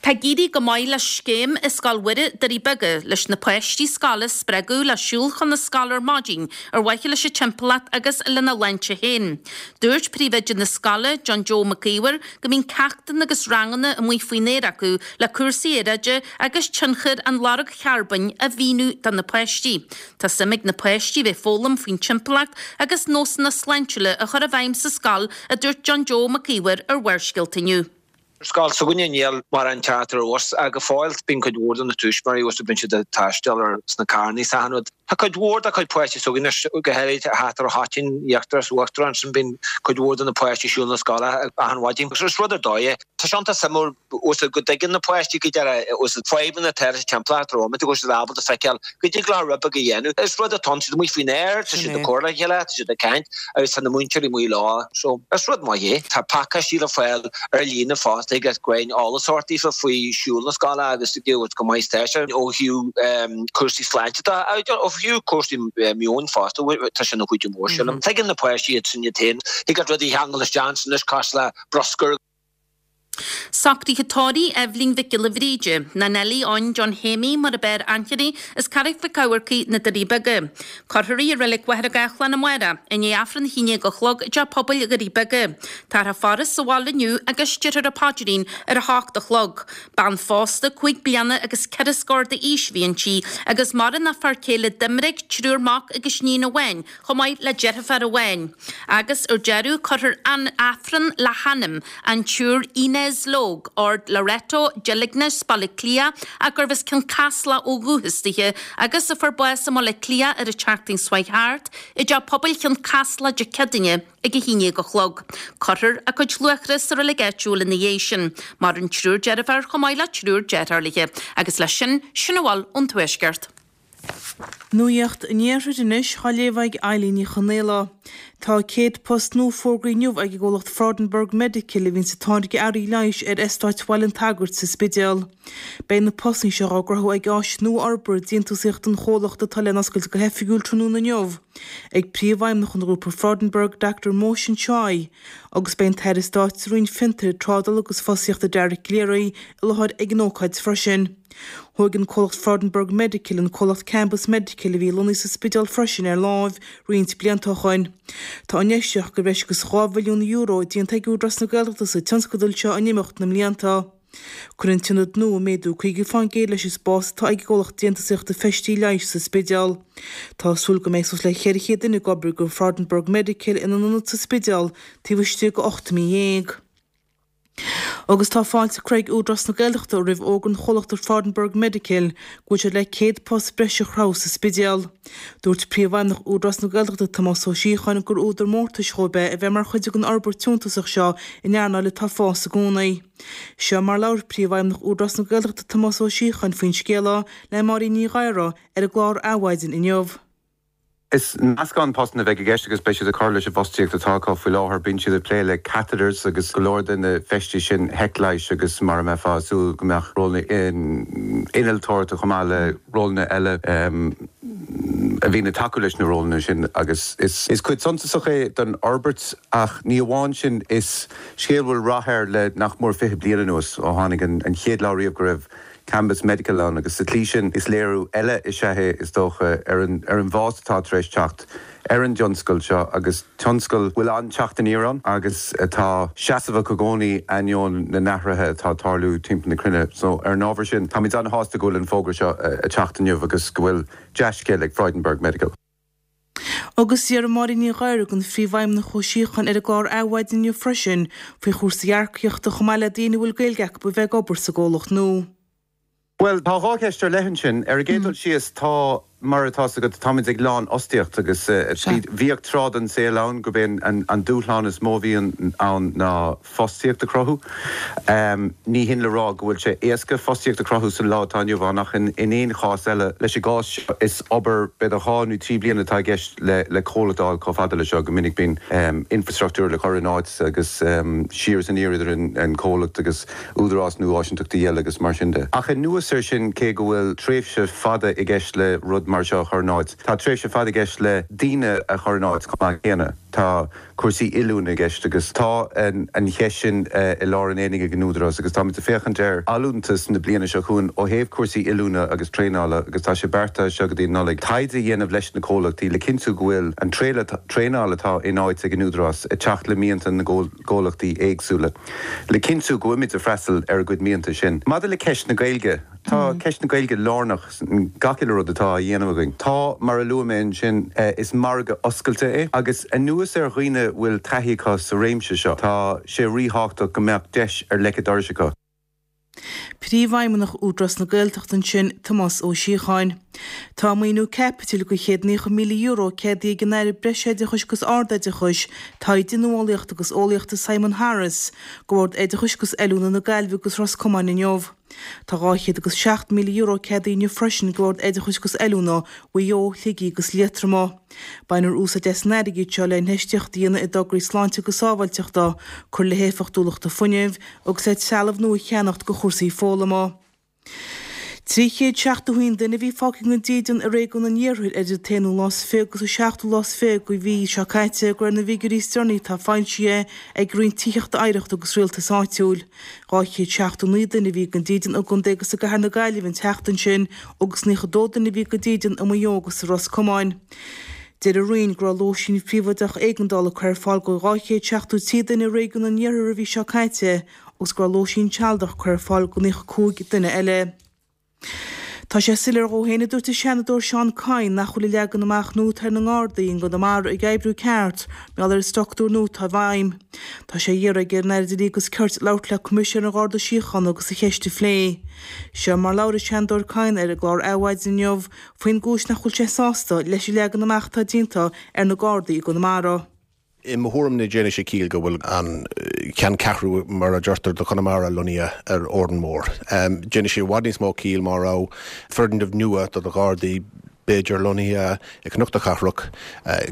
Tá ag éirí go maith le scéim i Scoil Mhuire, Doirí Beaga, leis na páistí scoile a spreagadh le siúl chun na scoile ar maidin ar mhaithe leis an timpeallacht agus lena sláinte féin. Dúirt príomhoide na scoile, John Joe Mac Íomhair, go mbíonn ceachtanna agus ranganna amuigh faoin aer acu le cúrsaí aeráide agus tionchar an lorg charbóin a mhíniú do na páistí. Tá suim ag na páistí bheith ag foghlaim faoin timpeallacht agus nósanna sláintiúla a chur i bhfeidhm sa scoil, a dúirt John Joe Mac Íomhair ar Bharrscéalta inniu. Ar scoil s'againne níl mórán teacht ar bhus ach go fóill bíonn cuid mhór de na tuismitheoirí bhus bíonn siad ag taisteal ar sna carrannaí is achan rud. Tá cuid mhór de chuid páistí s'againne anois go háirid thart ar an Choitín, íochtar is uachtar ansin bíonn cuid mhór de na páistí ag siúl na scoile achan mhaidin. Is rud ar dóigh é. Tá sé iontach suimiúil bhus go dtuigeann na páistí go deireadh bhus fadhbanna atá sa timpeallacht rompu go bhfuil siad ábalta feiceáil go dtig leo rud beag a dhéanamh. Is rud atá ann, siad amuigh faoin aer, tá siad ag comhrá le chéile, tá siad ag caint agus tá na múinteoirí amuigh leo. So, is rud maith é. Tá pacáistí le fáil ar líne fosta ag roinnt eolas a thabhairt daofa faoi siúl na scoile agus go maith tá sé ó thaobh cúrsaí sláinte de agus ó thaobh cúrsaí meoin fosta, tá sé ina chuidiú mór sílim. Tuigeann na páistí iad sin iad féin. Thig leat rudaí a cheangal isteach ansin anois cosúil le bruscar. Socruithe tórraimh Eibhlín Mhic Giolla Bhríde, nó Nellie Eoin John Shéimí mar ab fhearr aithne uirthi, as Carraig Mhic Eamharcaigh, Na Doirí Beaga. Cuirfear í i Reilig Mhachaire Gathlán amárach, i ndiaidh Aifreann a haon déag a chlog i dTeach Pobail Dhoirí Beaga. Táthar á faire sa bhaile inniu agus déarfar an paidrín ar a hocht a chlog. Bean phósta, cúig bliana agus ceithre scór d'aois a bhí inti agus maireann a fear céile Doiminic, triúr mac agus iníon amháin, chomh maith le deirfiúr amháin. Agus ar deireadh, cuirfear an Aifreann le hanam an tSiúr Inez Logue, Ard Loreto, Deilgnis, Baile Átha Cliath, ach gurbh as Cionn Caslach ó dhúchas dithe, agus a fuair bás i mBaile Átha Cliath ar an tseachtain seo chuaigh thart, i dTeach Pobail Chionn Caslach Dé Céadaoine ag 11 a chlog. Cuirfear a cuid luachra sa reilig áitiúil ina dhiaidh sin. Maireann triúr deirfiúr chomh maith le triúr deartháir léi. Agus leis sin, sin a bhfuil ón Tuaisceart. Nuacht an Iarthair anois á léamh ag Eilín Ní Chonaola. Tá 100 post nua fógraithe inniu ag an gcomhlacht Freudenberg Medical a bhíonns ag táirgeadh earraí leighis ar Eastáit Bhaile an tSagairt sa Spidéal. Beidh na postanna seo á gcruthú ag áis nua-fhorbartha déantúsaíochta an chomhlachta atá le n-oscailt go hoifigiúil tráthnóna inniu ag Príomhfheidhmeannach an Ghrúpa Freudenberg, Dr Mohsin Shaikh, agus beidh an tAire Stáit sa Roinn Fiontair, Trádála agus Fostaíochta Dara Calleary i láthair ag an ócáid freisin. Thóg an comhlacht Freudenberg Medical an comhlacht Cambus Medical a bhí lonnaithe sa Spidéal freisin ar láimh roinnt blianta ó shoin. Tá infheistíocht de bhreis agus €2 mhilliún déanta ag Údarás na Gaeltachta sa tionscadal seo in imeacht na mblianta. Cuirfidh an t-ionad nua méadú 50% leis an spás atá ag an gcomhlacht déantúsaíochta feistí leighis sa Spidéal. Tá súil go mbeidh suas le 400 duine ag obair do Freudenberg Medical ina n-ionad sa Spidéal taobh istigh de 18 mí. Agus tá fáilte curtha ag Údarás na Gaeltachta roimh fhógra an chomhlachta Freudenberg Medical go bhfuil siad le 100 post breise a chruthú sa Spidéal. Dúirt Príomhfheidhmeannach Údarás na Gaeltachta Tomás Ó Síocháin gur údar mórtais dhóibh é a bheith mar chuid den fhorbairt shuntasach seo in earnáil atá ag fás i gcónaí. Seo mar labhair Príomhfheidhmeannach Údarás na Gaeltachta Tomás Ó Síocháin faoin scéal le Máirín Ní Ghadhra ar an gclár Adhmhaidin inniu. Is meascán postanna a bheidh i gceist agus beidh siad ag cur leis an bhfostaíocht atá acu faoi láthair. Bíonn siad ag plé le catheters agus go leor de na feistí sin theich leighis agus mar a mbeifeá ag súil go mbeadh rólanna innealtóireachta chomh maith le rólanna eile a bhíonn ag tacú leis na rólanna sin agus is cuid suntasach é den fhorbairt ach ní amháin sin, is scéal a bhfuil rath air le nach mór 20 bliain anuas ó tháinig an chéad lá riamh go raibh Cambus Medical ann agus sa tslí sin is léiriú eile is ea é, is dócha, ar an ar an bhfás atá tar éis teacht ar an dtionscal seo agus tionscal a bhfuil an-teacht aniar ann agus atá seasmhach i gcónaí ainneoin na n-athruithe atá ag tarlú timpeall na cruinne. So, ar an ábhar sin, táimid an-shásta go bhfuil an fógra seo ag teacht inniu agus go bhfuil dea-scéal ag Freudenberg Medical. Agus d'iarr Máirín Ní Ghadhra den Phríomhfheidhmeannach Ó Síocháin ar an gclár Adhmhaidin inniu freisin faoi chúrsaí earcaíochta chomh maith le daoine a bhfuil Gaeilge acu a bheith ag obair sa gcomhlacht nua. Bhuel, tá dhá cheist ar leith ansin. Ar an gcéad dul síos, tá, mar atá 's agat, táimid ag lánfhostaíocht agus bhíodh tráth den saol ann gurb é an dúshlán is mó a bhí ann ná fostaíocht a chruthú. Ní hin le rá go bhfuil sé éasca fostaíocht a chruthú san lá atá inniu ann ach in aon chás eile, leis an gcás seo, is obair b'fhéidir dhá nó trí bliana atá i gceist le comhlacht a fháil chomh fada le seo. Go minic bíonn infrastruchtúr le cur in áit agus siar is aniar idir an comhlacht agus údarás nó áisinteachtaí eile agus mar sin de. Ach anuas air sin, cé go bhfuil tréimhse fada i gceist le rud mar seo a chur in áit, tá tréimhse fada i gceist le daoine a chur in áit chomh maith céanna. Tá cúrsaí oiliúna i gceist agus tá an cheist sin i lár an aonaigh ag an Údarás agus táimid ag féachaint ar allúntas na bliana seo chugainn ó thaobh cúrsaí oiliúna agus traenála agus tá sé beartaithe as seo go dtí an Nollaig taighde a dhéanamh leis na comhlachtaí le cinntiú go bhfuil an traenáil atá in áit ag an Údarás ag teacht le mianta na gcomhlachtaí éagsúla le cinntiú go bhfuimid ag freastal ar a gcuid mianta sin. Maidir le ceist na Gaeilge, tá ceist na Gaeilge lárnach. gach uile rud atá á dhéanamh againn. Tá, mar a luaigh mé ansin, is margadh oscailte é agus anuas ar dhaoine a bhfuil taithí acu sa réimse seo, tá sé ríthábhachtach go mbeadh deis ar leic an dorais acu. Príomhfheidhmeannach Údarás na Gaeltachta ansin, Tomás Ó Síocháin. Tá maoiniú caipitil de €190,000 ceadaithe ag an Aire Breisoideachais agus Ardoideachais, Taighde, Nuálaíochta agus Eolaíochta Simon Harris, do Bhord Oideachais agus Oiliúna na Gaillimhe agus Ros Comáin inniu. Tá €207,000 ceadaithe inniu freisin do Bhord Oideachais agus Oiliúna Mhaigh Eo, Shligigh agus Liatroma. Bainfear úsáid as an airgead seo le infheistíocht a dhéanamh i dtograí sláinte agus sábháilteachta, cur le héifeachtúlachta fuinnimh agus le trealamh nua a cheannacht do chúrsaí foghlama. 371 duine a bhí fágtha gan dídean i réigiún an iarthair idir an t-aonú lá is fiche agus an seachtú lá is fiche de mhí seo caite, de réir na bhfigiúirí is deireanaí atá foilsithe ag Roinn Tithíochta Oidhreachta agus Rialtais Áitiúil. 279 duine a bhí gan dídean i gcontae agus i gcathair na Gaillimhe an tseachtain sin agus 92 duine a bhí gan dídean i Maigh Eo agus i Ros Comáin. Deir an Roinn go raibh lóistín phríobháideach éigeandála curtha ar fáil do 273 duine i réigiún an iarthair an mhí seo caite agus go raibh lóistín sealadach curtha ar fáil do 95 duine eile. Tá sé soiléir dhó féin, a dúirt an Seanadóir Seán Kyne, nach bhfuil an leagan amach nua atá ar na nGardaí i gConamara ag oibriú ceart mar gheall ar an structúr nua atá i bhfeidhm. Tá sé á iarraidh aige ar an Aire Dlí agus Cirt labhairt le Coimisinéir an Gharda Síochána agus an cheist a phlé. Seo mar labhair an Seanadóir Kyne ar an gclár Adhmhaidin inniu faoin gcúis nach bhfuil sé sásta leis an leagan amach atá déanta ar na Gardaí i gConamara. I mo thuairim ní déanfaidh sé ciall go bhfuil an ceanncheathrú, mar a deirtear, do Chonamara lonnaithe ar Órán Mór. Déanfaidh sé i bhfad níos mó ciall má raibh foirgneamh nua do na Gardaí b'fhéidir lonnaithe i Cnoc na Cathrach,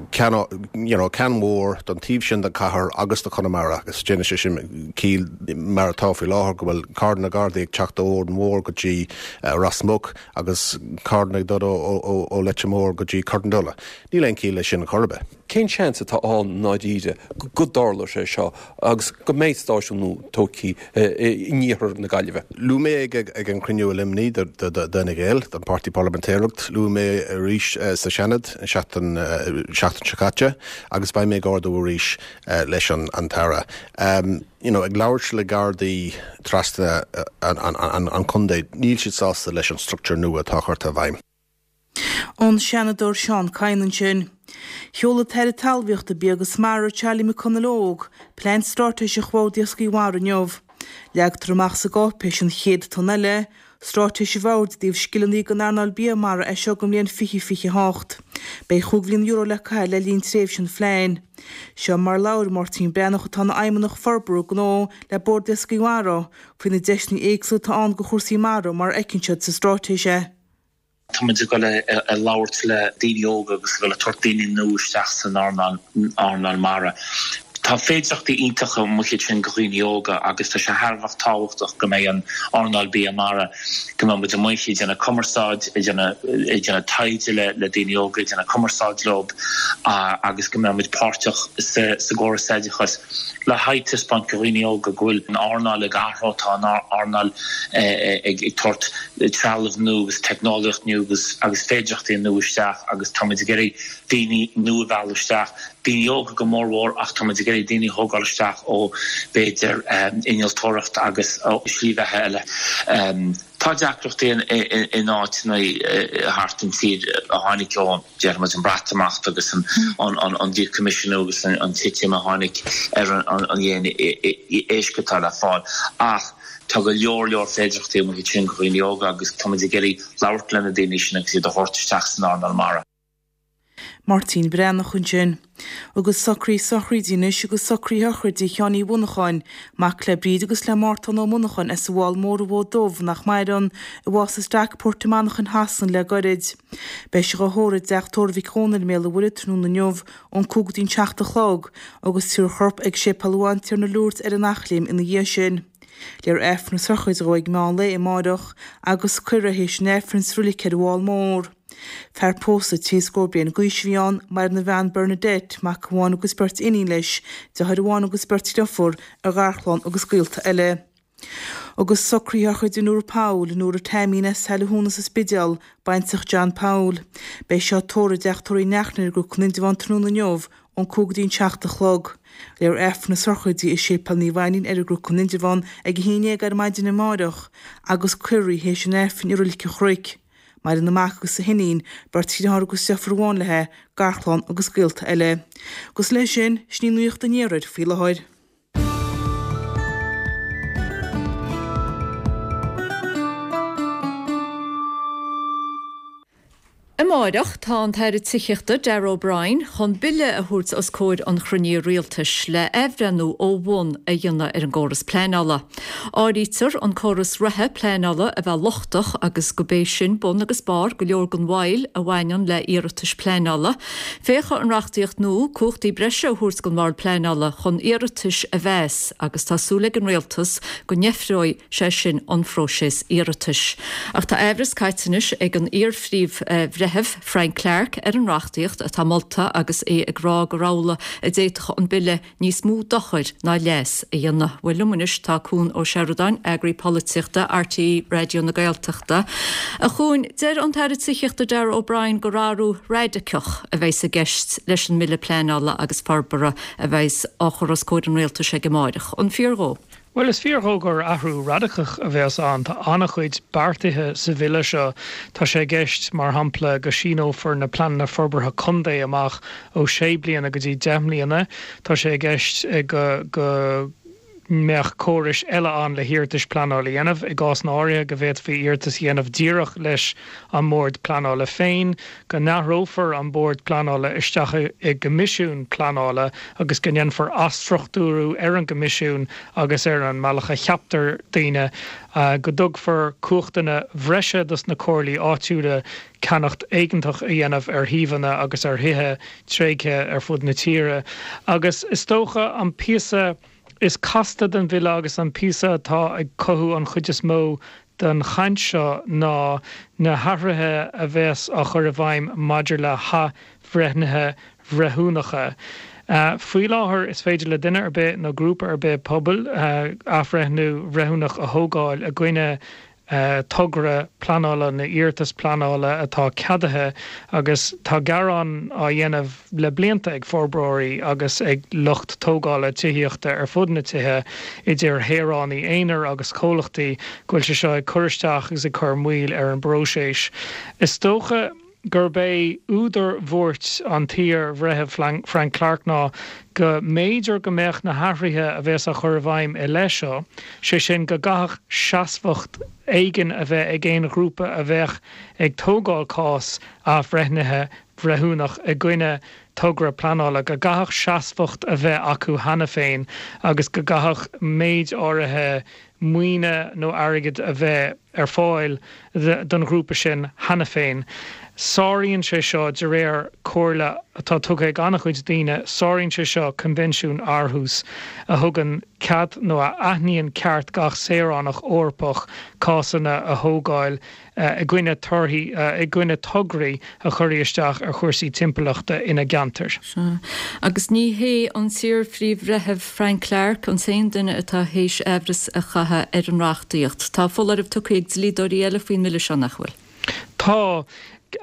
ceann, you know, ceann mhór don taobh sin den chathair agus do Chonamara agus déanfaidh sé sin ciall mar atá faoi láthair go bhfuil carranna Gardaí ag teacht ó Órán Mór go dtí Ros Muc agus carranna ag dul ó Leitir Móir go dtí Corrandulla. Níl aon chiall leis sin chor ar bith. Cén seans atá ann i ndáiríre go dtarlóidh sé seo agus go mbeidh stáisiún nua tógtha in iarthar na Gaillimhe? Luaigh mé ag an chruinniú i Luimnigh d'Fhine Gael, don Páirtí Parlaimintéireacht, luaigh mé arís sa Seanad an seachtain seo caite agus beidh mé ag ardú arís leis an tAire. You know, ag labhairt le Gardaí trasna an chontae, níl siad sásta leis an structúr nua atá curtha i bhfeidhm. An Seanadóir Seán Kyne ansin. Sheol an tAire Talmhaíochta, Bia agus Mara, Charlie McConalogue, Plean Straitéiseach Bhord Iascaigh Mhara inniu. Leagtar amach sa gcáipéis An Chéad Tonn Eile, Straitéis an Bhoird i dtaobh scileanna don earnáil bia mara as seo go mbliain 2028. Beidh €5 mhilliún le caitheamh le linn tréimhse an phlean. Seo mar a labhair Máirtín Breathnach atá ina Fheidhmeannach Forbartha Gnó le Bord Iascaigh Mhara faoi na deiseanna éagsúla atá ann do chúrsaí mara mar a fheiceann siad sa straitéis é. Tá muid ag dul a labhairt le daoine óga agus ag dul a tabhairt daoine nua isteach san earnáil mara. Tá féidearthachtaí iontacha amuigh ansin do dhaoine óga agus tá sé thar a bheith tábhachtach go mbeidh an earnáil bia mara, go mbeidh muid amuigh ag déanamh cumarsáid, ag déanamh taighde le daoine óga, ag déanamh cumarsáid leo agus go mbeidh muid páirteach sa gcóras oideachais le haghaidh taispeáint do dhaoine óga go bhfuil an earnáil ag athrú, tá an earnáil ag tabhairt trealamh nua agus teicneolaíocht nua agus féidearthachtaí nua isteach agus tá muid ag iarraidh daoine nua a mhealladh isteach. daoine óga go mórmhór ach tá muid ag iarraidh daoine a thógáil isteach ó b'fhéidir innealtóireacht agus ó shlí bheatha eile. Tá deacrachtaí in áiteanna thart an tír a tháinig ó, déarfaidh muid, an Breatimeacht agus an díchoimisiúnú agus an titim a tháinig ar an líon éisc atá le fáil ach tá go leor leor féidearthachtaí amuigh ansin do dhaoine óga agus tá muid ag iarraidh labhairt le na daoine sin agus iad a thabhairt isteach san earnáil mara. Máirtín Breathnach ansin. Agus socruithe sochraide anois agus socruithe sochraide Sheáin Uí Mhonacháin, mac le Bríd agus le Mártán Ó Monacháin as an bhFál Mór an Mhóid Dubh, nach maireann, a bhásaigh i Stockport i Manchain Shasana le goirid. Beidh sé dhá thórramh i dteach tórraimh Mhic Dhónaill i mBéal an Mhuirthead tráthnóna inniu ón 5 go dtí an 7 a chlog agus tabharfar a chorp ag Séipéal an Bhantiarna Lourdes ar an Eachléim ina dhiaidh sin. Léifear Aifreann na sochraide dhó ag meán lae amáireach agus cuirfear é théis an Aifrinn sa roilig ar an bhFál Mór. Fear pósta trí scór bliain d'aois a bhí ann, maireann a bhean Bernadette, mac amháin agus beirt iníon leis, deartháir amháin agus beirt dhriofúr, a gharchlann agus gaolta eile. Agus socruithe sochraide Nóra Powell, Nóra Taimín as Saile Thúna sa Spidéal, baintreach John Powell. Beidh sí á tórramh i dteach tórraimh Uí Neachtain ar an gCnoc in Indreabhán tráthnóna inniu ón 5 go dtí an 7 a chlog. Léifear Aifreann na sochraide i Séipéal Naomh Ainnín ar an gCnoc in Indreabhán ag 11 ar maidin amáireach agus cuirfear í théis an Aifrinn i Roilig an Chnoic. Maireann a mac agus a hiníon, beirt dheartháir agus deirfiúr amháin léi, garchlann agus gaolta eile. Agus leis sin, sin í nuacht an iarthair faoi láthair. Amáireach, tá an tAire Tithíochta, Darragh O'Brien, chun bille a thabhairt os comhair an chruinnithe rialtais le athbhreithniú ó bhun a dhéanamh ar an gcóras pleanála. Áirítear an córas reatha pleanála a bheith lochtach agus go b'é sin bun agus barr go leor den mhoill a bhaineann le iarratais pleanála. Féachfaidh an reachtaíocht nua cumhachtaí breise a thabhairt don Bhord Pleanála chun iarratais a mheas agus tá súil ag an Rialtas go ndeifreoidh sé sin an phróiseas iarratais. Ach tá aimhreas caite anois ag an iar-Phríomh-Bhreitheamh Frank Clarke ar an reachtaíocht atá molta agus é ag rá gur amhlaidh a d'fhéadfadh an bille níos mó dochair ná leas a dhéanamh. Bhuel liom anois tá Cuan Ó Seireadáin, Eagraí Polaitíochta RTÉ Raidió na Gaeltachta. A Chuain, deir an tAire Tithíochta Darragh O'Brien gur athrú raidiceach a bheas i gceist leis an mBille Pleanála agus Forbartha a bheas á chur os comhair an Rialtais aige amáireach. An fíor dhó? Bhuel, is fíor dhó gur athrú radacach a bheas ann. Tá an-chuid beartaithe sa bhille seo. Tá sé i gceist, mar shampla, go síneofar na pleananna forbartha contae amach ó sé bliana go dtí 10 mbliana. Tá sé i gceist go go mbeadh córais eile ann le hiarratais pleanála a dhéanamh, i gcásanna áirithe go bhféadfaí iarratas a dhéanamh díreach leis an mBord Pleanála féin, go n-athrófar an Bord Pleanála isteach i gCoimisiún Pleanála agus go ndéanfar athstruchtúrú ar an gCoimisiún agus ar an mbealach a cheaptar daoine, go dtugfar cumhachtanna bhreise dos na comhairlí áitiúla ceannacht éigeantach a dhéanamh ar shuíomhanna agus ar thithe tréigthe ar fud na tíre. Agus is dócha an píosa is casta den bhille agus an píosa atá ag cothú an chuid is mó den chaint seo ná na hathruithe a bheas á chur i bhfeidhm maidir le hathbhreithnithe bhreithiúnacha. Faoi láthair is féidir le duine ar bith nó grúpa ar bith pobail athbhreithniú bhreithiúnach a thógáil i gcoinne togra pleanála nó iarratas pleanála atá ceadaithe agus tá gearán á dhéanamh le blianta ag forbróirí agus ag lucht tógála tithíochta ar fud na tíre, idir shaoránaigh aonair agus comhlachtaí, go bhfuil sé seo ag cur isteach agus ag cur moill ar an bpróiseas. Is dócha. gurb é údar bhuairt an t-iar-bhreithimh Frank Clarke ná go mb'fhéidir go mbeadh na hathruithe a bheas á chur i bhfeidhm i leith seo, sé sin go gcaithfeadh seasmhacht éigin a bheith ag aon ghrúpa a bheadh ag tógáil cás athbhreithnithe bhreithiúnach i gcoinne togra pleanála, go gcaithfeadh seasmhacht a bheith acu cheana féin agus go gcaithfeadh méid áirithe maoine nó airgid a bheith ar fáil don ghrúpa sin cheana féin. Sáraíonn sé seo, de réir comhairle atá tugtha ag an-chuid daoine, sáraíonn sé seo Coinbhinsiún Aarhus a thugann cead nó a aithníonn ceart gach saoránach Eorpach cásanna a thógáil i gcoinne torthaí, i gcoinne tograí a chuirfí isteach ar chúrsaí timpeallachta ina gceantair. Sea. Agus ní hé an t-iar-Phríomh-Bhreitheamh Frank Clarke an t-aon duine atá théis aimhreas a chaitheamh ar an reachtaíocht. Tá foláireamh tugtha ag dlíodóirí eile faoin mbille seo, nach bhfuil? Tá.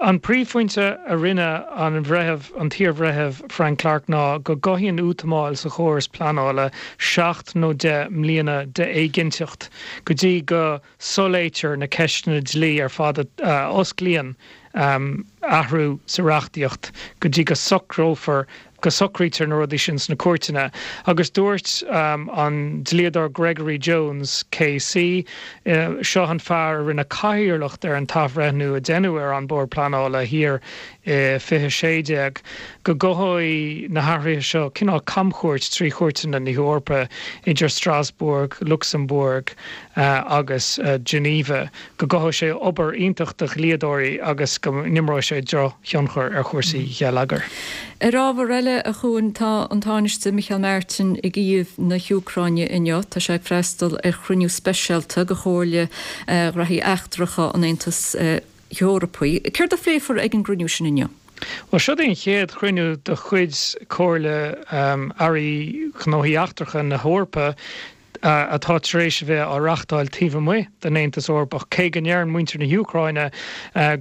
An príomhphointe a rinne an bhreitheamh, an t-iar-bhreitheamh Frank Clarke ná go gcothaíonn útamáil sa chóras pleanála seacht nó deich mbliana d'éiginnteacht go dtí go soiléirítear na ceisteanna dlí ar fad a osclaíonn athrú sa reachtaíocht go dtí go socrófar, go socraítear na rudaí sin sna cúirteanna. Agus dúirt an dlíodóir Gregory Jones KC, seo an fear a rinne cathaoirleacht ar an t-athbhreithniú a deineadh ar An Bord Pleanála thiar i 2016, go gcothóidh na hathruithe seo cineál camchuairt trí chúirteanna na hEorpa, idir Strasbourg, Lucsamburg agus Geneva, go gcothóidh sé obair iontach do dhlíodóirí agus go n-imreoidh sé drochthionchar ar chúrsaí geilleagair. Ar ábhar eile, a Chuain, tá an Tánaiste Micheál Martin i gCív na hÚcráine inniu. Tá sé ag freastal ar chruinniú speisialta de Chomhairle Ghraithí Eachtracha an Aontais Eorpaigh. Céard a phléifear ag an gcruinniú sin inniu? Bhuel, seod é an chéad chruinniú de chuid Comhairle Airí Gnóthaí Eachtracha na hEorpa atá tar éis a bheith á reachtáil taobh amuigh den Aontas Eorpach, cé go ndeireann muintir na hÚcráine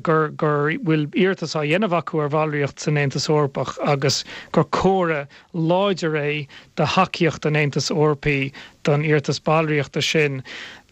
gur gur bhfuil iarratas á dhéanamh acu ar bhallraíocht san Aontas Eorpach agus gur comhartha láidir é de thacaíocht an Aontais Eorpaigh don iarratas ballraíochta sin.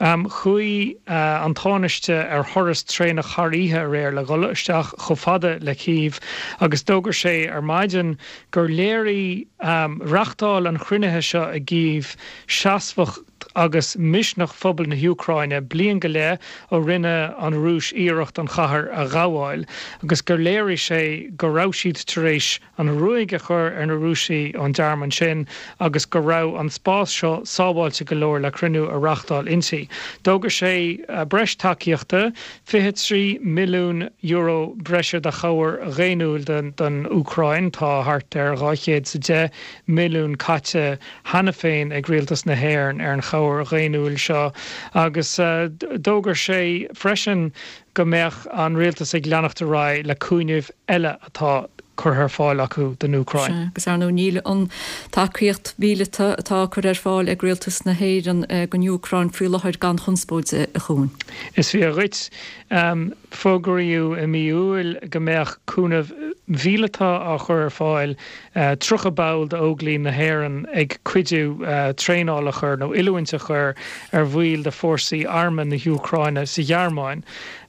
Chuaigh an Tánaiste ar thuras traenach thar oíche aréir le dhul isteach chomh fada le Cív agus d'fhógair sé ar maidin gur léirigh reachtáil an chruinnithe seo i gCív seasmhacht agus misneach phobal na hÚcráine bliain go leith ó rinne an Rúis iarracht an chathair a ghabháil agus gur léirigh sé go raibh siad tar éis an ruaig a chur ar na Rúisigh ón dtearmann sin agus go raibh an spás seo sábháilte go leor le cruinniú a reachtáil inti. D'fhógair sé breis tacaíochta, €23 milliún breise de chabhair dhaonnúil don Úcráin. Tá thart ar 210 milliún caite cheana féin ag rialtas na hÉireann ar an chabhair dhaonnúil seo agus d'fhógair sé freisin go mbeadh an rialtas ag leanacht ar aghaidh le cúnamh eile atá curtha ar fáil acu don Úcráin. Sea, agus ar ndóigh níl an tacaíocht mhíleata atá á cur ar fáil ag rialtas na hÉireann don Úcráin faoi láthair gan chonspóid, a Chuain. Is fíor dhuit. Fógraíodh i mí Iúil go mbeadh cúnamh mhíleata á chur ar fáil, 30 ball d'Óglaigh na hÉireann ag cuidiú traenáil a chur nó oiliúint a chur ar bhaill de fórsaí armtha na hÚcráine sa Ghearmáin.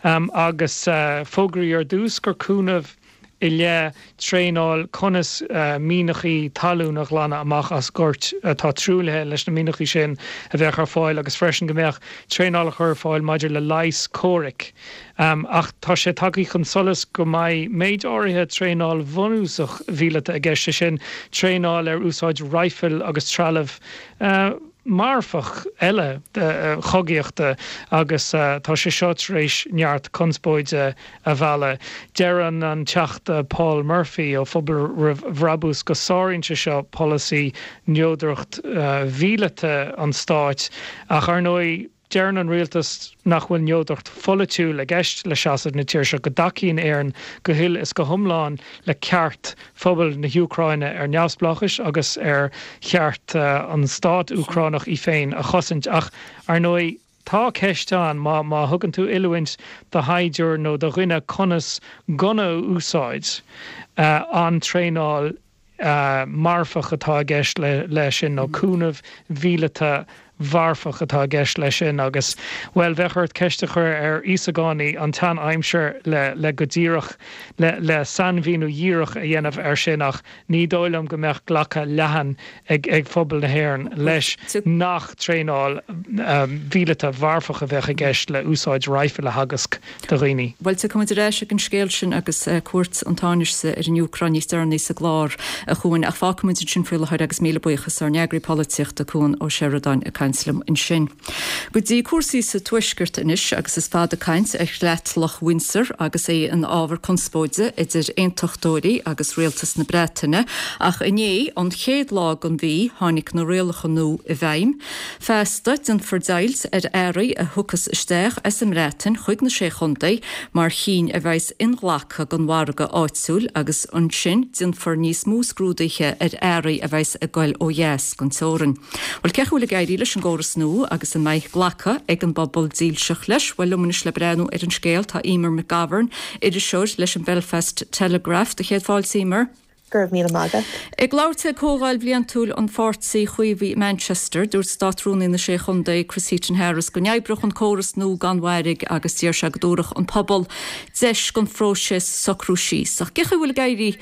Agus fógraíodh ar dtús gur cúnamh i leith traenáil conas mianachaí talún a ghlanadh amach as goirt atá truaillithe leis na mianachaí sin a bheadh ar fáil agus freisin go mbeadh traenáil á chur ar fáil maidir le leigheas comhraic. Ach tá sé tagtha chun solais go mbeidh méid áirithe traenáil bhunúsach mhíleata i gceist, sé sin traenáil ar úsáid raidhfil agus trealamh marfach eile chogaíochta agus tá sé seo tar éis neart conspóide a mhealladh. Deireann an Teachta Paul Murphy ó Phobal Roimh Bhrabús go sáraíonn sé seo polasaí neodracht mhíleata an stáit ach ar ndóigh deireann an rialtas nach bhfuil neodracht pholaitiúil i gceist le seasamh na tíre seo, go dtacaíonn Éirinn go huile is go hiomlán le ceart phobal na hÚcráine ar neamhspleáchais agus ar cheart an stát Úcránach í féin a chosaint. Ach ar ndóigh tá ceist ann, má má thugann tú oiliúint do shaighdiúir nó do dhuine conas gunna a úsáid, an traenáil marfach atá i gceist leis sin nó cúnamh mhíleata. mharfach atá i gceist leis sin agus, bhuel, bheadh ort ceist a chur ar Íosagánaigh an tsean-aimsir le, le go díreach, le, le sainmhíniú dhíreach a dhéanamh air sin ach ní dóigh liom go mbeadh glacadh leathan ag, ag phobal na hÉireann leis nach traenáil mhíleata mharfach a bheadh i gceist le úsáid raidhfil a theagasc do dhaoine. Bhuel, tiocfaidh muid ar ais ag an scéal sin agus cuairt an Tánaiste ar an Úcráin níos deireanaí sa gclár, a Chuain, ach fágfaidh muid ansin faoi láthair agus míle buíochas ár n-eagraí polaitíochta, Cuan Ó Seireadáin, ag caint liom ansin. Go dtí cúrsaí sa Tuaisceart anois agus is fada caint ar Chreatlach Windsor agus é ina ábhar conspóide idir aontachtóirí agus rialtas na Breataine ach inné, an chéad lá den mhí, tháinig na rialacha nua i bhfeidhm. Feasta, déanfar deighilt ar earraí a thiocfas isteach as an mBreatain chuig na Sé Chontae mar chinn a bheas inghlactha don mhargadh áitiúil agus ansin déanfar níos mó scrúdaithe ar earraí a bheas ag goil ó dheas den teorainn. Bhuel, cén chaoi a bhfuil ag éirí leis an gcóras nua agus an mbeidh glacadh ag an bpobal dílseach leis? Bhuel, liom anois le breathnú ar an scéal tá Eimear McGovern, iriseoir leis an Belfast Telegraph. Do chéad fáilte, Eimear. Go raibh míle maith agat. Ag labhairt ag comhdháil bhliantúil an pháirtí Chaomhaigh i Manchester, dúirt Státrúnaí na Sé Chontae, Chris Heaton-Harris, go n-oibreodh an córas nua gan mhairg agus d'iarr sé go dtabharfadh an pobal deis don phróiseas socrú síos. Ach cén chaoi a bhfuil ag éirí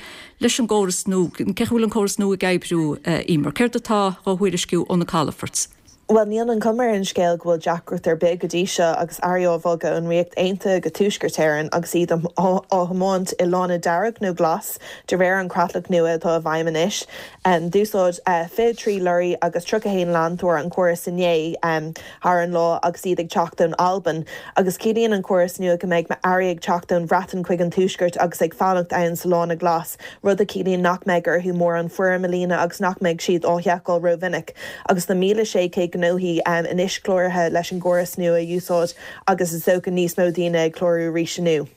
leis an gcóras nua, cén chaoi a bhfuil an córas nua ag oibriú, Eimear? Céard atá dhá thuairisciú ó na calafoirt? Bhuel, níl an chuma ar an scéal go bhfuil deacracht ar bith go dtí seo agus earraí á bhogadh ón Ríocht Aontaithe go Tuaisceart Éireann agus iad á thiomáint i lána dearg nó glas de réir an chreatlach nua atá i bhfeidhm anois. D'úsáid 23 lorraí agus 31 leantóir an córas inné thar an lá agus iad ag teacht ón Albain. Agus ciallaíonn an córas nua go mbeidh earraí ag teacht ón Bhreatain chuig an Tuaisceart agus ag fanacht ann sa lána glas, rud a chiallaíonn nach mbeidh orthu mórán foirm a líonadh agus nach mbeidh siad á sheiceáil rómhinic. Agus tá 1,600 gnóthaí anois cláraithe leis an gcóras nua a úsáid agus is dócha níos mó daoine ag clárú arís inniu.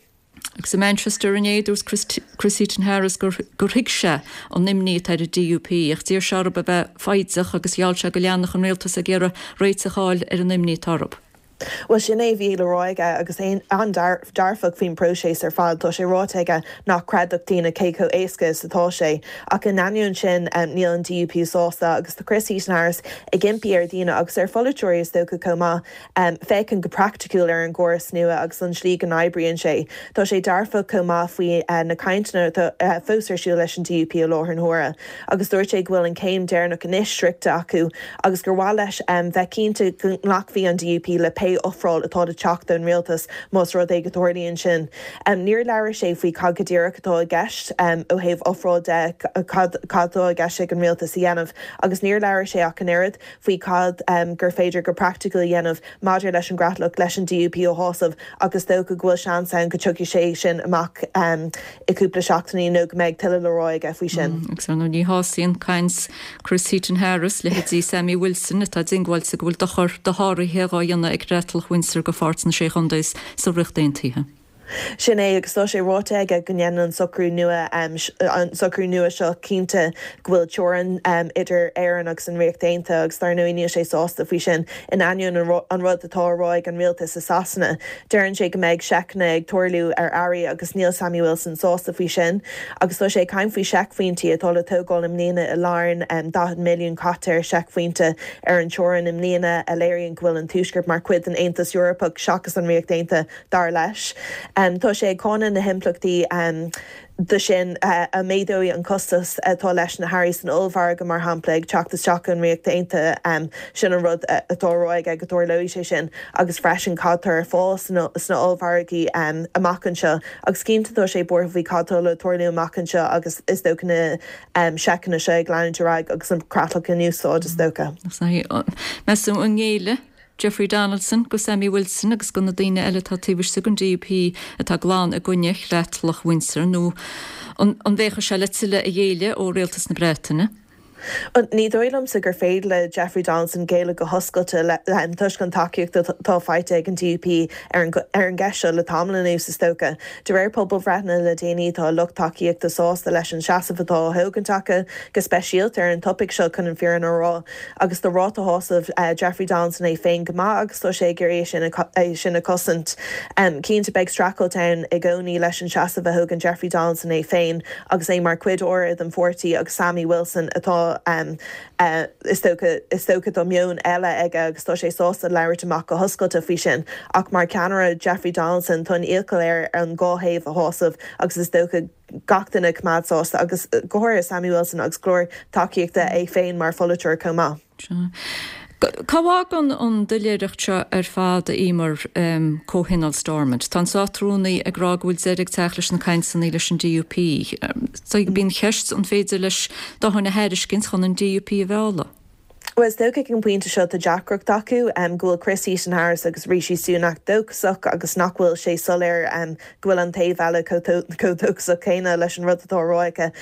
Agus i Manchester inné, dúirt Chris Heaton-Harris gur thuig sé an imní atá ar an DUP ach d'iarr sé orthu a bheith foighdeach agus gheall sé go leanfadh an rialtas ag iarraidh réiteach a fháil ar an imní atá orthu. Bhuel, sin é a bhí le rá aige agus é an-dearfach faoin bpróiseas ar fad. Tá sé ráite aige nach gcreidfeadh daoine cé chomh éasca is atá sé. Ach in ainneoin sin, níl an DUP sásta agus tá Chris Heaton-Harris ag impí ar dhaoine, agus ar pholaiteoirí is dócha chomh maith, féachaint go praiticiúil ar an gcóras nua agus an tslí go n-oibríonn sé. Tá sé dearfach chomh maith faoi na cainteanna atá fós ar siúl leis an DUP i láthair na huaire. agus dúirt sé go bhfuil an chéim deireanach anois sroichte acu agus gur mhaith leis bheith cinnte go nglacfaidh an DUP le pé ofráil atá le teacht ón rialtas más rud é go dtarlaíonn sin. Níor labhair sé faoi cad go díreach atá i gceist ó thaobh ofráil de, cad atá i gceist ag an rialtas a dhéanamh agus níor labhair sé ach an oiread faoi cad gur féidir go praiticiúil a dhéanamh maidir leis an gcreatlach leis an DUP a shásamh ach is dócha go bhfuil seans ann go dtiocfaidh sé sin amach i gcúpla seachtainí nó go mbeidh tuilleadh le rá aige faoi sin. Agus ar ndóigh ní shásaíonn caint Chris Heaton-Harris leithéidí Sammy Wilson atá diongbháilte go bhfuil dochar dosháraithe dhá dhéanamh ag Creatlach Windsor do pháirt na Sé Chontae sa Ríocht Aontaithe. Sin é, agus tá sé ráite aige go ndéanann an socrú nua, an socrú nua seo cinnte go bhfuil teorainn idir Éirinn agus an Ríocht Aontaithe agus dar ndóigh níl sé sásta faoi sin, in ainneoin an rud atá á rá ag an rialtas i Sasana. Deireann sé go mbeidh seiceanna ag tarlú ar earraí agus níl Sammy Wilson sásta faoi sin. Agus tá sé ag caint faoi seicphointí atá le tógáil i mbliana i Larne, 40 milliún caite ar seicphointe ar an teorainn i mbliana, a léiríonn go bhfuil an Tuaisceart mar chuid den Aontas Eorpach seachas an Ríocht Aontaithe. Dar leis, tá sé ag cáineadh na himpleachtaí de sin a méadóidh an costas atá leis na hearraí san ollmhargadh, mar shampla, ag teacht isteach ón Ríocht Aontaithe. Sin an rud atá á rá aige, go dtarlóidh sé sin agus freisin cad tá ar fáil sna ollmhargaí amach anseo. Agus cinnte tá sé buartha faoi cad tá le tarlú amach anseo agus is dócha na seiceanna seo ag leanúint ar aghaidh agus an creatlach in úsáid, is dócha. Meas tú an ngéillfidh Jeffrey Donaldson go Sammy Wilson agus go na daoine eile atá taobh istigh den DUP atá glan i gcoinne Chreatlach Windsor nó an bhféachfaidh sé le tuilleadh a ghéilleadh ó Rialtas na Breataine? Ní dóigh liomsa gur féidir le Jeffrey Donaldson géilleadh go hoscailte toisc an tacaíocht atá faighte ag an DUP ar an gceist seo le tamall anuas, is dócha. De réir pobalbhreitheanna le déanaí tá a lucht tacaíochta sásta leis an seasamh atá á thógaint acu, go speisialta ar an topaic seo chun an fírinne a rá. Agus tá ráta shásaimh Jeffrey Donaldson é féin go maith agus tá sé ag iarraidh é sin a chosaint. Cinnte beidh streachailt ann i gcónaí leis an seasamh a thógann Jeffrey Donaldson é féin agus é mar chuid áirithe den pháirtí agus Sammy Wilson atá. Is dócha, is dócha tá meon eile aige agus tá sé sásta labhairt amach go hoscailte faoi sin. Ach mar cheannaire, Jeffrey Donaldson, tá an iachall air an dhá thaobh a shásamh agus is dócha gach duine a choimeád sásta agus go háirithe Sammy Wilson agus go leor tacaíochta é féin mar pholaiteoir chomh maith. Sea. Cá bhfágann an doiléireacht seo ar fad, a Eimear, Comhthionól Stormont? Tá an Státrúnaí ag rá go bhfuil deireadh ag teacht leis na cainteanna leis an DUP. Bíonn an cheist an féidir leis dóthain a thairiscint chun an DUP a mhealladh? Bhuel, is dócha ag an bpointe seo tá deacracht acu go bhfuil Chris Heaton-Harris agus Rishi Sunak dóchasach agus nach bhfuil sé soiléir go bhfuil an taobh eile chomh dóchasach céanna leis an rud atá á rá aici,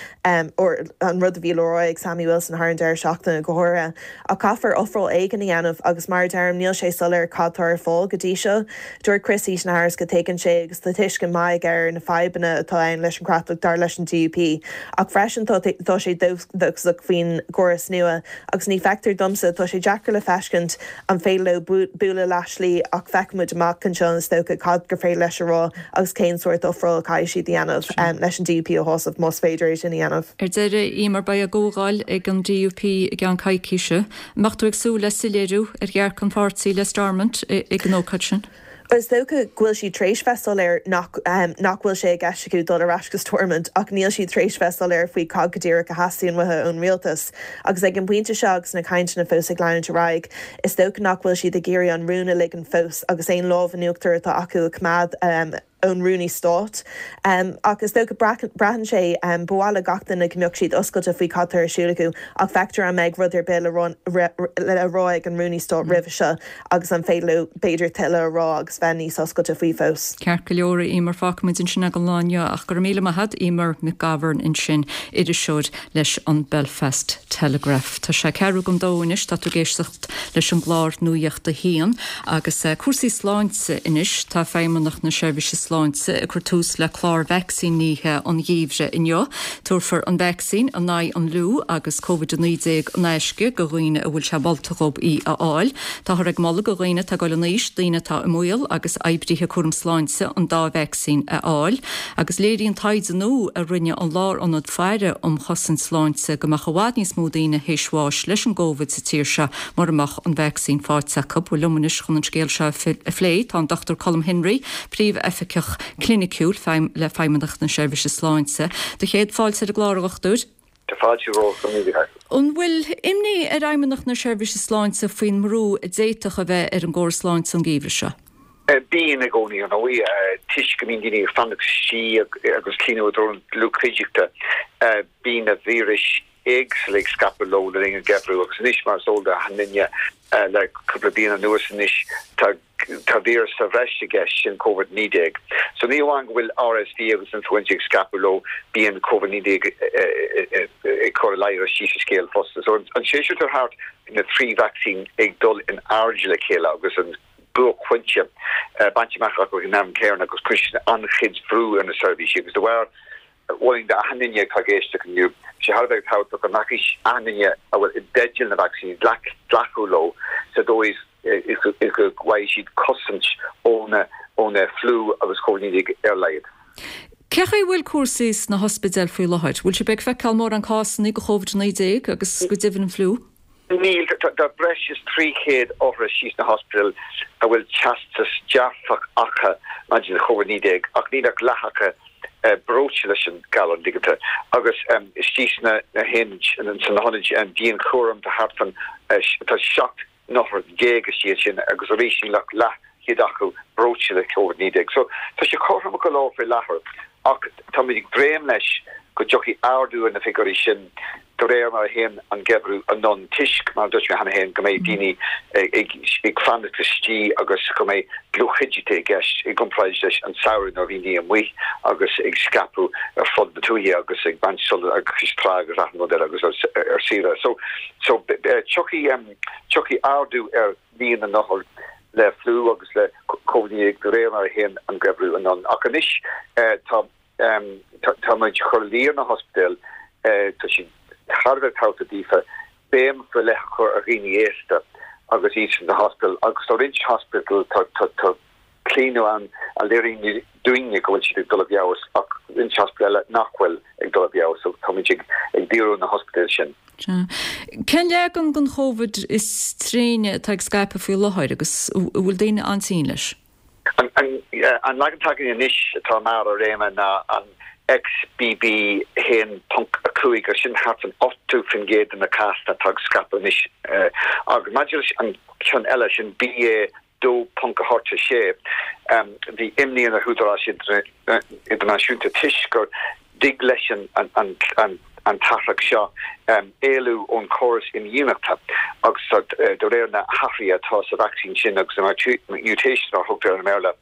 or an rud a bhí le rá ag Sammy Wilson thar an deireadh seachtaine go háirithe. Ach caithfear ofráil éigin a dhéanamh agus mar a deirim níl sé soiléir cad tá ar fáil go dtí seo. Dúirt Chris Heaton-Harris go dtuigeann sé agus tá tuiscint maith aige ar na fadhbanna atá ann leis an chreatlach dar leis an DUP ach freisin tá tá sé dóchasach faoin gcóras nua agus ní feictear domsa, tá sé deacair le feiscint an féidir leo bualadh leath-slí ach feicfidh muid amach anseo is dócha cad gur féidir leis a rá agus cén sórt ofráil a chaithfidh siad a dhéanamh leis an DUP a shásamh más féidir é sin a dhéanamh. Ar deireadh, Eimear, beidh a gcomhdháil ag an DUP i gceann coicíse. An mbeadh tú ag súil le soiléiriú ar dhearcadh an pháirtí le Stormont ag an ócáid sin? Bhuel, is dócha go bhfuil siad tar éis bheith soiléir nach nach bhfuil sé i gceist acu dul ar ais go Stormont ach níl siad tar éis bheith soiléir faoi cad go díreach a theastaíonn uathu ón rialtas. Agus ag an bpointe seo agus na cainteanna fós ag leanúint ar aghaidh, is dócha nach bhfuil siad ag iarraidh an rún a ligean fós agus aon lámh in uachtar atá acu a choimeád ón Rúnaí Stáit. Ach is dócha, braitheann sé, ba mhaith le gach duine go mbeadh siad oscailte faoi cad tá ar siúl acu ach feictear an mbeidh rud ar bith le rá ag an Rúnaí Stáit roimhe seo agus an féidir leo b'fhéidir tuilleadh a rá agus bheith níos oscailte faoi fós. Ceart go leor, a Eimear, fágfaimid ansin é don lá inniu ach go raibh míle maith agat, Eimear McGovern ansin, iriseoir leis an Belfast Telegraph. Tá sé ceathrú don dó anois, tá tú ag éisteacht leis an gclár Nuacht a hAon agus cúrsaí sláinte anois. Tá Feidhmeannacht na Seirbhíse Sláinte ag cur tús le clár vacsaínithe an gheimhridh inniu. Tabharfar an vacsaín in aghaidh an fhliú agus Covid-19 in aisce do dhaoine a bhfuil sé molta dhóibh í a fháil. Táthar ag moladh do dhaoine atá ag dul in aois, daoine atá i mbaol agus oibrithe cúram sláinte an dá vacsaín a fháil. Agus léiríonn taighde nua a rinne an Lárionad Faire um Chosaint Sláinte go mbeadh i bhfad níos mó daoine théis bháis leis an gCóivid sa tír seo mura mbeadh an vacsaín faighte acu. Bhuel liom anois chun an scéal seo a phlé tá an Dr Colm Henry, Príomh-Oifigeach Cliniciúil le Feidhmeannacht na Seirbhíse Sláinte. Do chéad fáilte ar an gclár, a Dhochtúir. Tá fáilte romhat, go raibh míle maith. An bhfuil imní ar Fheidhmeannacht na Seirbhíse Sláinte faoin mbrú a d'fhéadfadh a bheith ar an gcóras sláinte an geimhreadh seo? Bíonn i gcónaí, ar ndóigh, toisc go mbíonn daoine ag fanacht istigh agus cleachtadh i dtreo an dlúthchuideachta, bíonn na víris éagsúla ag scaipeadh leo le linn an gheimhridh agus anois, mar is eol d'achan duine, le cúpla bliain anuas anois, tá tá víreas sa bhreis i gceist, sin Covid-19. So ní amháin go bhfuil RSV agus influenza ag scaipeadh leo, bíonn Covid-19 ag cur a ladhar istigh sa scéal fosta. So an séasúr atá thart, na trí vacsaín ag dul in airde le chéile agus an buaicphointe bainte amach acu ag an am céanna agus cuireann sin an-chuid bhrú ar na seirbhísí agus de bharr Mholfainn d'achan duine atá ag éisteacht inniu, tá sé thar a bheith tábhachtach go nglacfaidh achan duine a bhfuil i dteideal na vacsaíní, glacadh leo sa dóigh is go bhfaighidh siad cosaint ón fhliú agus Covid-19 ar a laghad. Cé chaoi a bhfuil cúrsaí sna hospidéil faoi láthair? Bhfuil sibh ag feiceáil mórán cásanna de Covid-19 agus go deimhin an fliú? Níl. Tá breis is 300 othar istigh sna hospidéil a bhfuil teastas dearfach acu maidir le Covid-19 ach níl ach leath acu breoite leis an galar, an dtuigeann tú. Agus istigh sna hionaid dianchúraim tá thart fán, tá 17 n-othar istigh ansin agus arís níl ach leathchéad acu breoite le Covid-19. So tá sé cothrom go leor faoi láthair ach táimid ag dréim leis go dtiocfaidh ardú ar na figiúirí sin de réir mar a théann an geimhreadh anonn toisc, mar a dúirt mé cheana féin, go mbeidh daoine ag fanacht istigh agus go mbeidh dlúthchuideachta i gceist i gcomparáid leis an samhradh nuair a bhí daoine amuigh agus ag scaipeadh ar fud na tuaithe agus ag baint sult ag cois trá agus achan rud eile agus ar saoire. So, so tiocfaidh, tiocfaidh ardú ar líon na n-othar le fliú agus le Covid-19 de réir mar a théann an geimhreadh anonn. Ach anois tá. Tá muid ag cur luí ar na hospidéil, tá sé thar a bheith tábhachtach daofa béim faoi leith a chur ar dhaoine aosta agus iad sna hospidéil agus tá roinnt hospidéal tá claonadh ann a léiríonn dúinne go bhfuil siad ag dul i bhfeabhas ach roinnt hospidéal eile nach bhfuil ag dul i bhfeabhas so tá muid ag díriú ar na hospidéil sin. Sea. Cén leagan den Chóvid is tréine atá ag scaipeadh faoi láthair agus an bhfuil daoine an-tinn leis? An leagan atá againn anois atá i mbarr a réime ná an XBB 1.5 agus sin thart fan 80% de na cásanna atá ag scaipeadh anois. Agus maidir leis an ceann eile, sin BA 2.86, bhí imní ar na húdaráis idirnáisiúnta toisc go dtig leis an t-athrach seo éalú ón chóras imdhíonachta agus de réir na hathruithe atá sa vacsaín sin agus na mutations mar a thugtar air i mBéarla,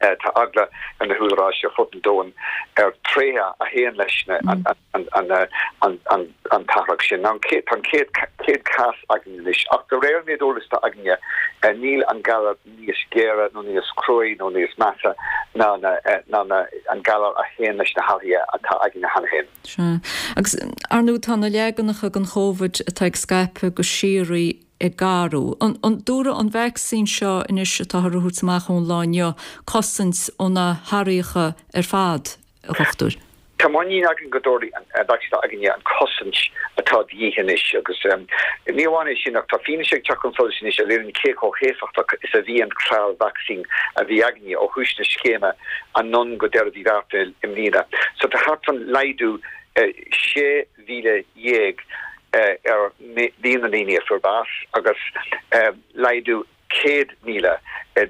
tá eagla ar na húdaráis ar fud an domhain ar tréithe a théann leis an t-athrach sin. Tá an chéad cás againn anois ach de réir an méid eolais atá againne níl an galar níos géire nó níos cruaí nó níos measa ná an galar a théann leis na hathruithe atá againne cheana féin. Sea. Agus, ar ndóigh, tá na leaganacha den Chóvid atá ag scaipeadh go síoraí ag athrú. An dtabharfaidh an vacsaín seo anois atáthar a thabhairt amach ón lá inniu cosaint ó na hathraíocha ar fad, a dhochtúir? Tá muinín againn go dtabharfaidh an vacsaín atá againne an chosaint atá de dhíth anois agus ní amháin é sin ach tá fianaise ag teacht chun solais anois a léiríonn cé chomh héifeachtach is a bhí an clár vacsaín a bhí againne ó thús na scéime anonn go deireadh mhí Bhealtaine i mbliana. So tá thart fan laghdú 16,000 ar líon na ndaoine a fuair bás agus laghdú 100,000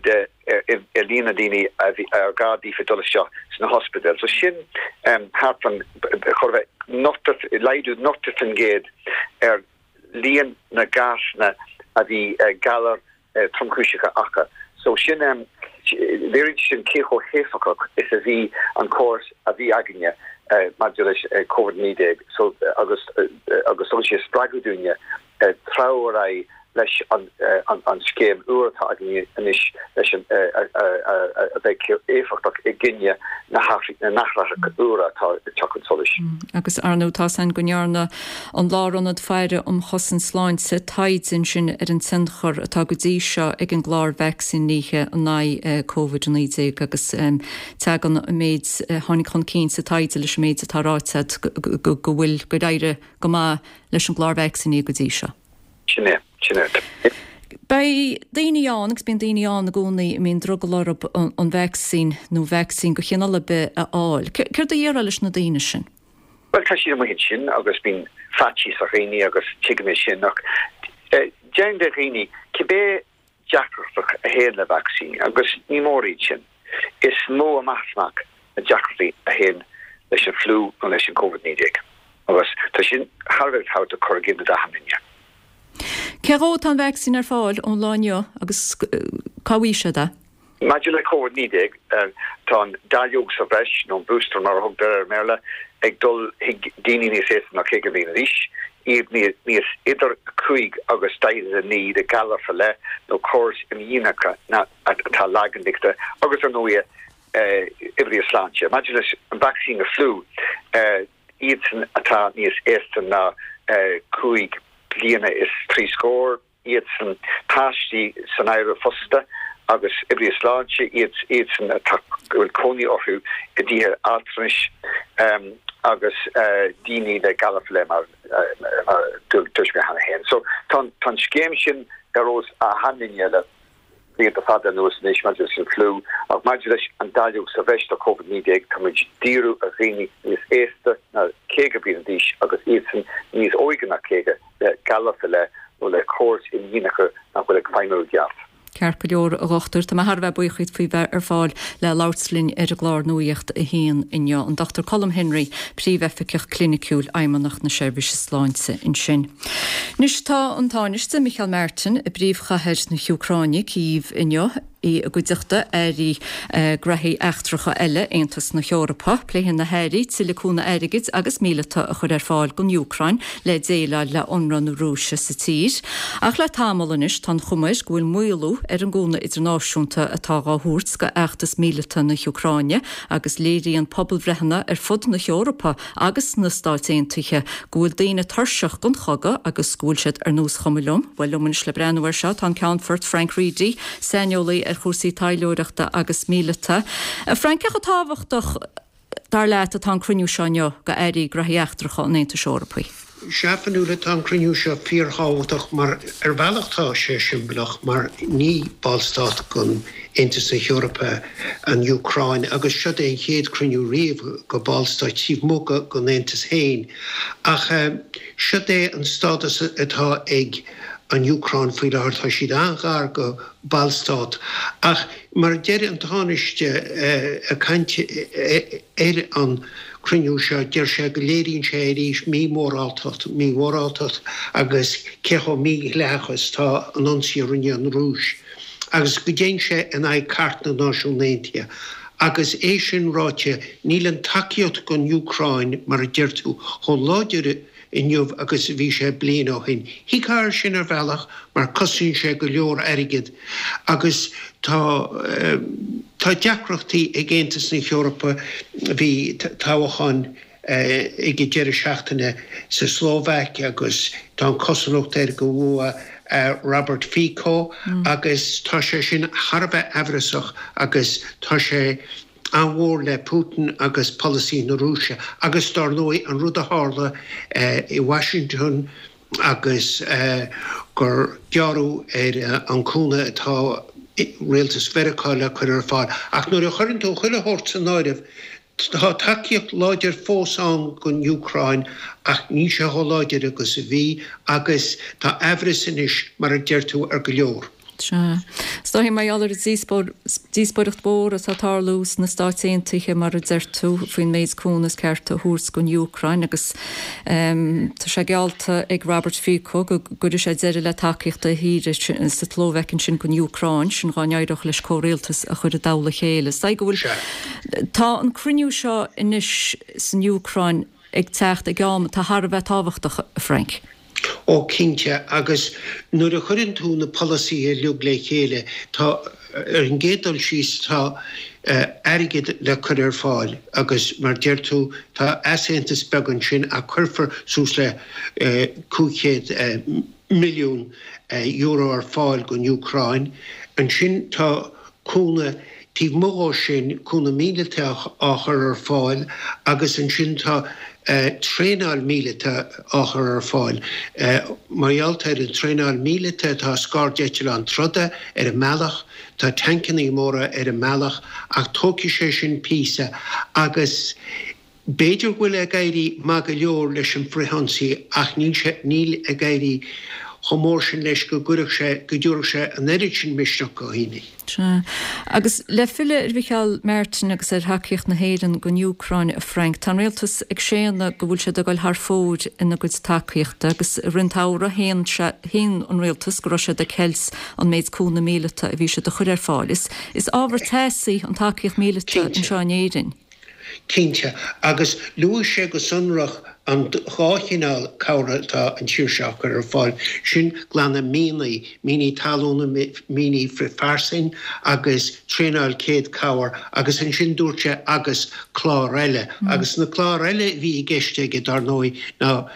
de i líon na ndaoine a bhí ar gá daofa dul isteach sna hospidéil. So sin thart fan chóir a bheith laghdú 90% ar líon na gcásanna a bhí galar tromchúiseacha acu. So sin, léiríonn sé sin cé chomh héifeachtach is a bhí an córas a bhí againne maidir leis Covid-19 so agus agus tugann sé spreagadh dúinne treabhadh ar aghaidh leis an scéim úr atá againn anois leis an a bheidh éifeachtach i gcoinne na n-athraitheach úra atá ag teacht chun solais. Agus ar ndóigh tá's againn go ndearna an Lárionad Faire um Chosaint Sláinte taighde ansin ar an tionchar atá go dtí seo ag an gclár vacsaínithe in aghaidh Covid-19 agus tagann an méid a tháinig chun cinn sa taighde leis an méid atá ráite agat go bhfuil gur éirigh go maith leis an gclár vacsaíní go dtí seo. Sin é, sin é. Beidh daoine ann, agus bíonn daoine ann i gcónaí, a mbíonn drogall orthu an vacsaín nó vacsaín de chineál ar bith a fháil. Céard a déarfá leis na daoine sin? Bhuel, tá siad amuigh ansin agus bíonn faitíos ar dhaoine agus tuigim é sin ach déarfainn do dhaoine, cibé deacrachtaí a théann le vacsaíní, agus ní mór iad sin. Is mó amach is amach na deacrachtaí a théann leis an fliú nó leis an Covid-19, agus tá sin thar a bheith tábhachtach cur i gcuimhne d'achan duine. Cé dhó atá an vacsaín ar fáil ón lá inniu agus cá bhfaighidh siad é? Maidir le Covid-19, tá an dáileog sa bhreis, nó an booster mar a thugtar air i mBéarla, ag dul chuig daoine níos aosta ná 50 bliain d'aois, iad níos idir 5 agus 49 le galar faoi leith nó córas imdhíonachta atá lag intuigthe, agus ar ndóighe oibrithe sláinte. Maidir leis an vacsaín na fliú, iadsan atá níos aosta ná 5 bliana is 3 scór, iadsan, páistí san áireamh fosta, agus oibrithe sláinte, iad, iadsan atá, go bhfuil cónaí orthu i dtithe altranais agus daoine le galar faoi leith mar a dúirt mé cheana féin. So tá an, tá an scéim sin ar eolas achan duine le blianta fada anuas anois maidir leis an fliú ach maidir leis an dáileog sa bhreis do Covid-19 tá muid ag díriú ar dhaoine níos aosta ná 50 bliain d'aois agus iadsan níos óige ná 50 le galar faoi leith nó le córas imdhíonachta nach bhfuil ag feidhmiú i gceart. Ceart go leor, a Dhochtúir. Tá mé thar a bheith buíoch díot faoi bheith ar fáil le labhairt linn ar an gclár Nuacht a hAon inniu. An Dr Colm Henry, Príomhoifigeach Cliniciúil Fheidhmeannacht na Seirbhíse Sláinte ansin. Anois tá an Tánaiste Micheál Martin i bpríomhchathair na hÚcráine, Cív, inniu. I gcuideachta airí graithí eachtracha eile Aontas na hEorpa, pléifidh na hairí tuilleadh cúnamh airgid agus míleata a chur ar fáil don Úcráin le déileáil le ionradh na Rúise sa tír. Ach le tamall anois tá an chuma air go bhfuil maolú ar an gcúnamh idirnáisiúnta atá dhá thabhairt do fheachtas míleata na hÚcráine agus léiríonn pobalbhreitheanna ar fud na hEorpa agus sna Stáit Aontaithe go bhfuil daoine tuirseach den chogadh agus go bhfuil siad ar nós chuma liom. Bhuel, liom anois le breathnú air seo tá an Ceannfort Frank Reidy, saineolaí ar chúrsaí taidhleoireachta agus míleata. A Frank, cé chomh tábhachtach, dar leat, atá an cruinniú seo inniu do airí graithí eachtracha an Aontais Eorpaigh? Sea, Fionnuala, tá an cruinniú seo fíorthábhachtach mar ar bhealach tá sé siombalach mar ní ballstát den Aontas na hEorpa an Úcráin agus seo é an chéad chruinniú riamh go ballstáit taobh amuigh den Aontas féin. Ach seo é an stádas atá ag an Úcráin faoi láthair, tá siad an-ghar go ballstát ach mar a deir an Tánaiste ag caint ar an cruinniú seo, deir sé go léiríonn sé arís mímhóráltacht, mímhóráltacht agus cé chomh mídhleathach is atá an ionsaí a rinne an Rúis agus go dtéann sé in aghaidh Cairt na Náisiún Aontaithe. Agus é sin ráite, níl an tacaíocht don Úcráin, mar a deir tú, chomh láidir inniu agus a bhí sé bliain ó shin. Thuigfeá air sin ar bhealach mar cosnaíonn sé go leor airgid agus tá tá deacrachtaí ag Aontas na hEorpa. Bhí toghcháin ag an deireadh seachtaine sa Slóvaic agus tá an chosúlacht air go bhua Robert Fico agus tá sé sin thar a bheith aimhreasach agus tá sé an-mhór le Putin agus polasaí na Rúise agus dár ndóigh an rud a tharla i Washington agus gur gearradh ar an cúnamh atá rialtas Mheiriceá le cur ar fáil. Ach nuair a chuireann tú chuile shórt san áireamh, tá tacaíocht láidir fós ann don Úcráin ach níl sé chomh láidir agus a bhí agus tá aimhreas anois, mar a deir tú, ar go leor. Sea. Is dóichí mar gheall ar an díospóireacht mhór atá ag tarlú sna Stáit Aontaithe, mar a deir tú, faoin méid cúnamh is ceart a thabhairt don Úcráin agus tá sé geallta ag Robert Fico go gcuirfidh sé deireadh le tacaíocht a thíre sa tSlóvaic ansin don Úcráin, sin dá n-éireodh leis comhrialtas a chur i dtoll a chéile. Is dóigh go bhfuil. Tá an cruinniú seo anois san Úcráin ag teacht ag am atá thar a bheith tábhachtach, a Frank. Ó cinnte, agus nuair a chuireann tú na polasaithe uilig le chéile, tá, ar an gcéad dul síos, tá airgead le cur ar fáil agus mar deir tú, tá easaontas beag ansin ach cuirfear suas le €500 milliún ar fáil don Úcráin. Ansin tá cúnamh taobh amuigh dhó sin, cúnamh míleata á chur ar fáil agus ansin tá traenáil míleata á chur ar fáil. Mar gheall ar an traenáil míleata tá scairdeitleáin troda ar an mbealach, tá tancannaí móra ar an mbealach ach tógfaidh sé sin píosa agus B'fhéidir go bhfuil ag éirí maith go leor leis an frithionsaí ach níl sé, níl ag éirí chomh mór sin leis go gcuirfeadh sé, go dtabharfadh sé an oiread sin misneach do dhaoine. Sea. Agus le filleadh ar Mhicheál Martin agus ar thacaíocht na hÉireann don Úcráin, a Frank, tá an rialtas ag séanadh go bhfuil siad ag dul thar fóir ina gcuid tacaíochta agus i rith an tsamhraidh shéan sé, shéan an rialtas go raibh siad ag ceilt an méid cúnamh míleata a bhí siad a chur ar fáil. Is, is ábhar teasaí an tacaíocht míleata anseo in Éirinn. Cinnte, agus luaigh sé go sonrach an dá chineál cabhrach atá an tír seo á cur ar fáil, sin glanadh mianaí, mianaí talún, mianaí frithphearsain agus traenáil céad cabhair agus ansin dúirt sé agus clár eile. Agus na cláir eile a bhí i gceist aige, dar ndóigh, ná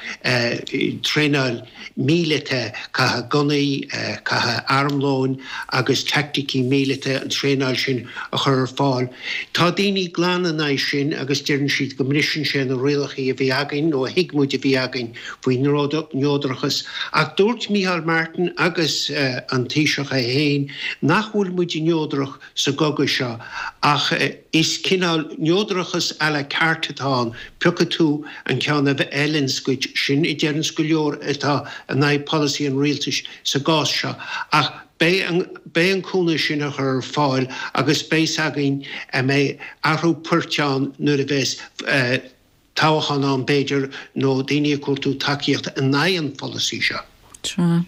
traenáil míleata, caitheamh gunnaí, caitheamh armlóin agus teaicticí míleata, an traenáil sin a chur ar fáil. Tá daoine glan in aghaidh sin agus deireann siad go mbriseann sé na rialacha a bhí againn nó a thuig muid a bhí againn faoi neodrachas. Ach dúirt Micheál Martin agus an Taoiseach é féin nach bhfuil muid neodrach sa gcogadh seo ach is cineál neodrachas à la carte atá ann, piocfaidh tú an ceann a fheileanns duit, sin a deireanns go leor atá in aghaidh polasaí an rialtais sa gcás seo. Ach beidh an, beidh an cúnamh sin á chur ar fáil agus beidh 's againn an mbeidh athrú poirt ann nuair a bheas toghchán ann b'fhéidir, nó daoine ag cuartú tacaíocht in aghaidh an pholasaí seo. Sea.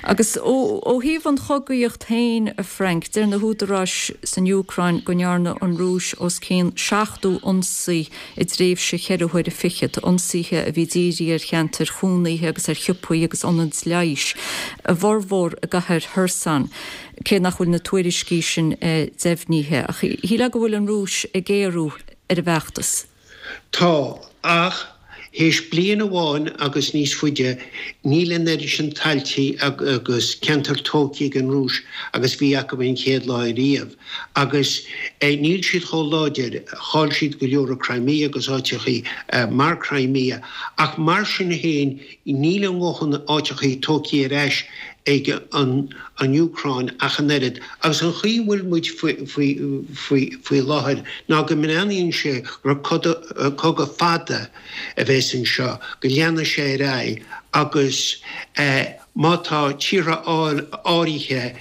Agus ó thaobh an chogaíocht féin, a Frank, deir na húdaráis san Úcráin go ndearna an Rúis os cionn 70 ionsaí i dtréimhse cheithre huaire fichead, ionsaithe a bhí dírithe ar cheantair chónaithe agus ar shiopaí agus ionaid leighis, a bhformhór i gcathair Kherson, cé nach bhfuil na tuairiscí sin deimhnithe. Ach shílfeá go bhfuil an Rúis ag géarú ar an bhfeachtas. Tá, ach. Théis bliain amháin agus níos faide, níl an oiread sin tailtí agus ceantair tógtha ag an Rúis agus bhí acu an chéad lá ariamh. Agus níl siad chomh láidir, chaill siad go leor i Crimea agus áiteachaí mar Crimea, ach mar sin féin níl a ndóthain áiteachaí tógtha ar ais ag an Úcráin ach an oiread. Agus an chaoi a bhfuil muid faoi láthair ná go mbreathnaíonn sé gur cogadh fada a bheas anseo, go leanfaidh sé ar aghaidh agus má tá tíortha áirithe,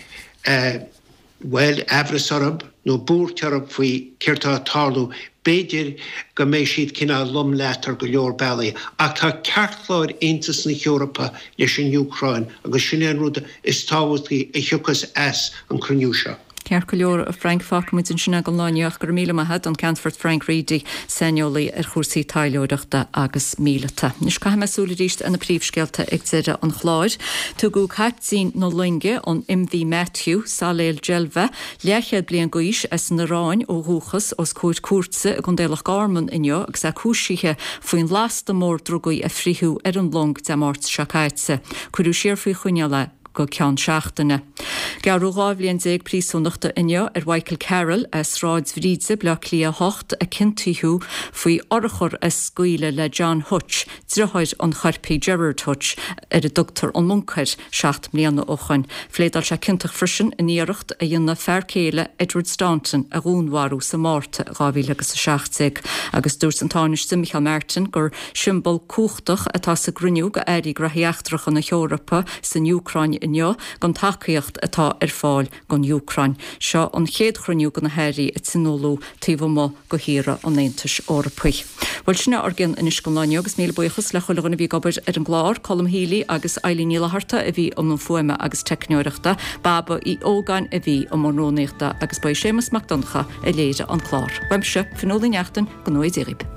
bhuel, aimhreas orthu nó buairt orthu faoi céard tá ag tarlú, b'fhéidir go mbeidh siad cineál lom leat ar go leor bealaí. Ach tá ceartchlár Aontas na hEorpa leis an Úcráin agus sin é an rud is tábhachtaí a thiocfas as an cruinniú seo. Ceart go leor, a Frank, fágfaidh muid ansin é don lá inniu ach go raibh míle maith agat, an Ceannfort Frank Reidy, saineolaí ar chúrsaí taidhleoireachta agus míleata. Anois caithfidh mé súil arís ar na príomhscéalta ag deireadh an chláir. Tugadh caiptín na loinge, an MV Matthew, Saleel Jelveh, leathchéad bliain d'aois, as an Iaráin ó dhúchas, os comhair cúirte i gContae Loch Garman inniu agus é cúisithe faoin lasta mór drugaí a fritheadh ar an long Dé Máirt seo caite. Cuireadh siar faoi choinneáil é go ceann seachtaine. Gearradh 12 bhliain príosúnachta inniu ar Mhichael Carroll as Sráid Bhríde, Baile Átha Cliath 8, a ciontaíodh faoi urchar a scaoileadh le John Hutch, driotháir an choirpigh Gerard Hutch, ar a dtugtar an Monk air, 7 mbliana ó shoin. Phléadáil sé ciontach freisin in iarracht a dhéanamh fear céile Edward Staunton a dhúnmharú sa Márta 2017 agus dúirt an Tánaiste Micheál Martin gur siombail cumhachtach atá sa gcruinniú go Airí Graithí Eachtracha na hEorpa san Úcráin inniu don tacaíocht atá ar fáil don Úcráin. Seo an chéad chruinniú de na hairí a tionóladh taobh amuigh de thíortha an Aontais Eorpaigh. Bhuel, sin é ár gcion anois don lá inniu agus míle buíochas le chuile dhuine a bhí ag obair ar an gclár, Colm Healy agus Eilín Ní Fhlatharta a bhí i mbun fuaime agus teicneoireachta, Baba Uí Ógáin a bhí i mbun rúnaíochta agus ba é Séamus Mac Donncha a léirigh an clár. Uaimse, Fionnuala Ní Neachtain, go ngnóthaí Dia dhaoibh.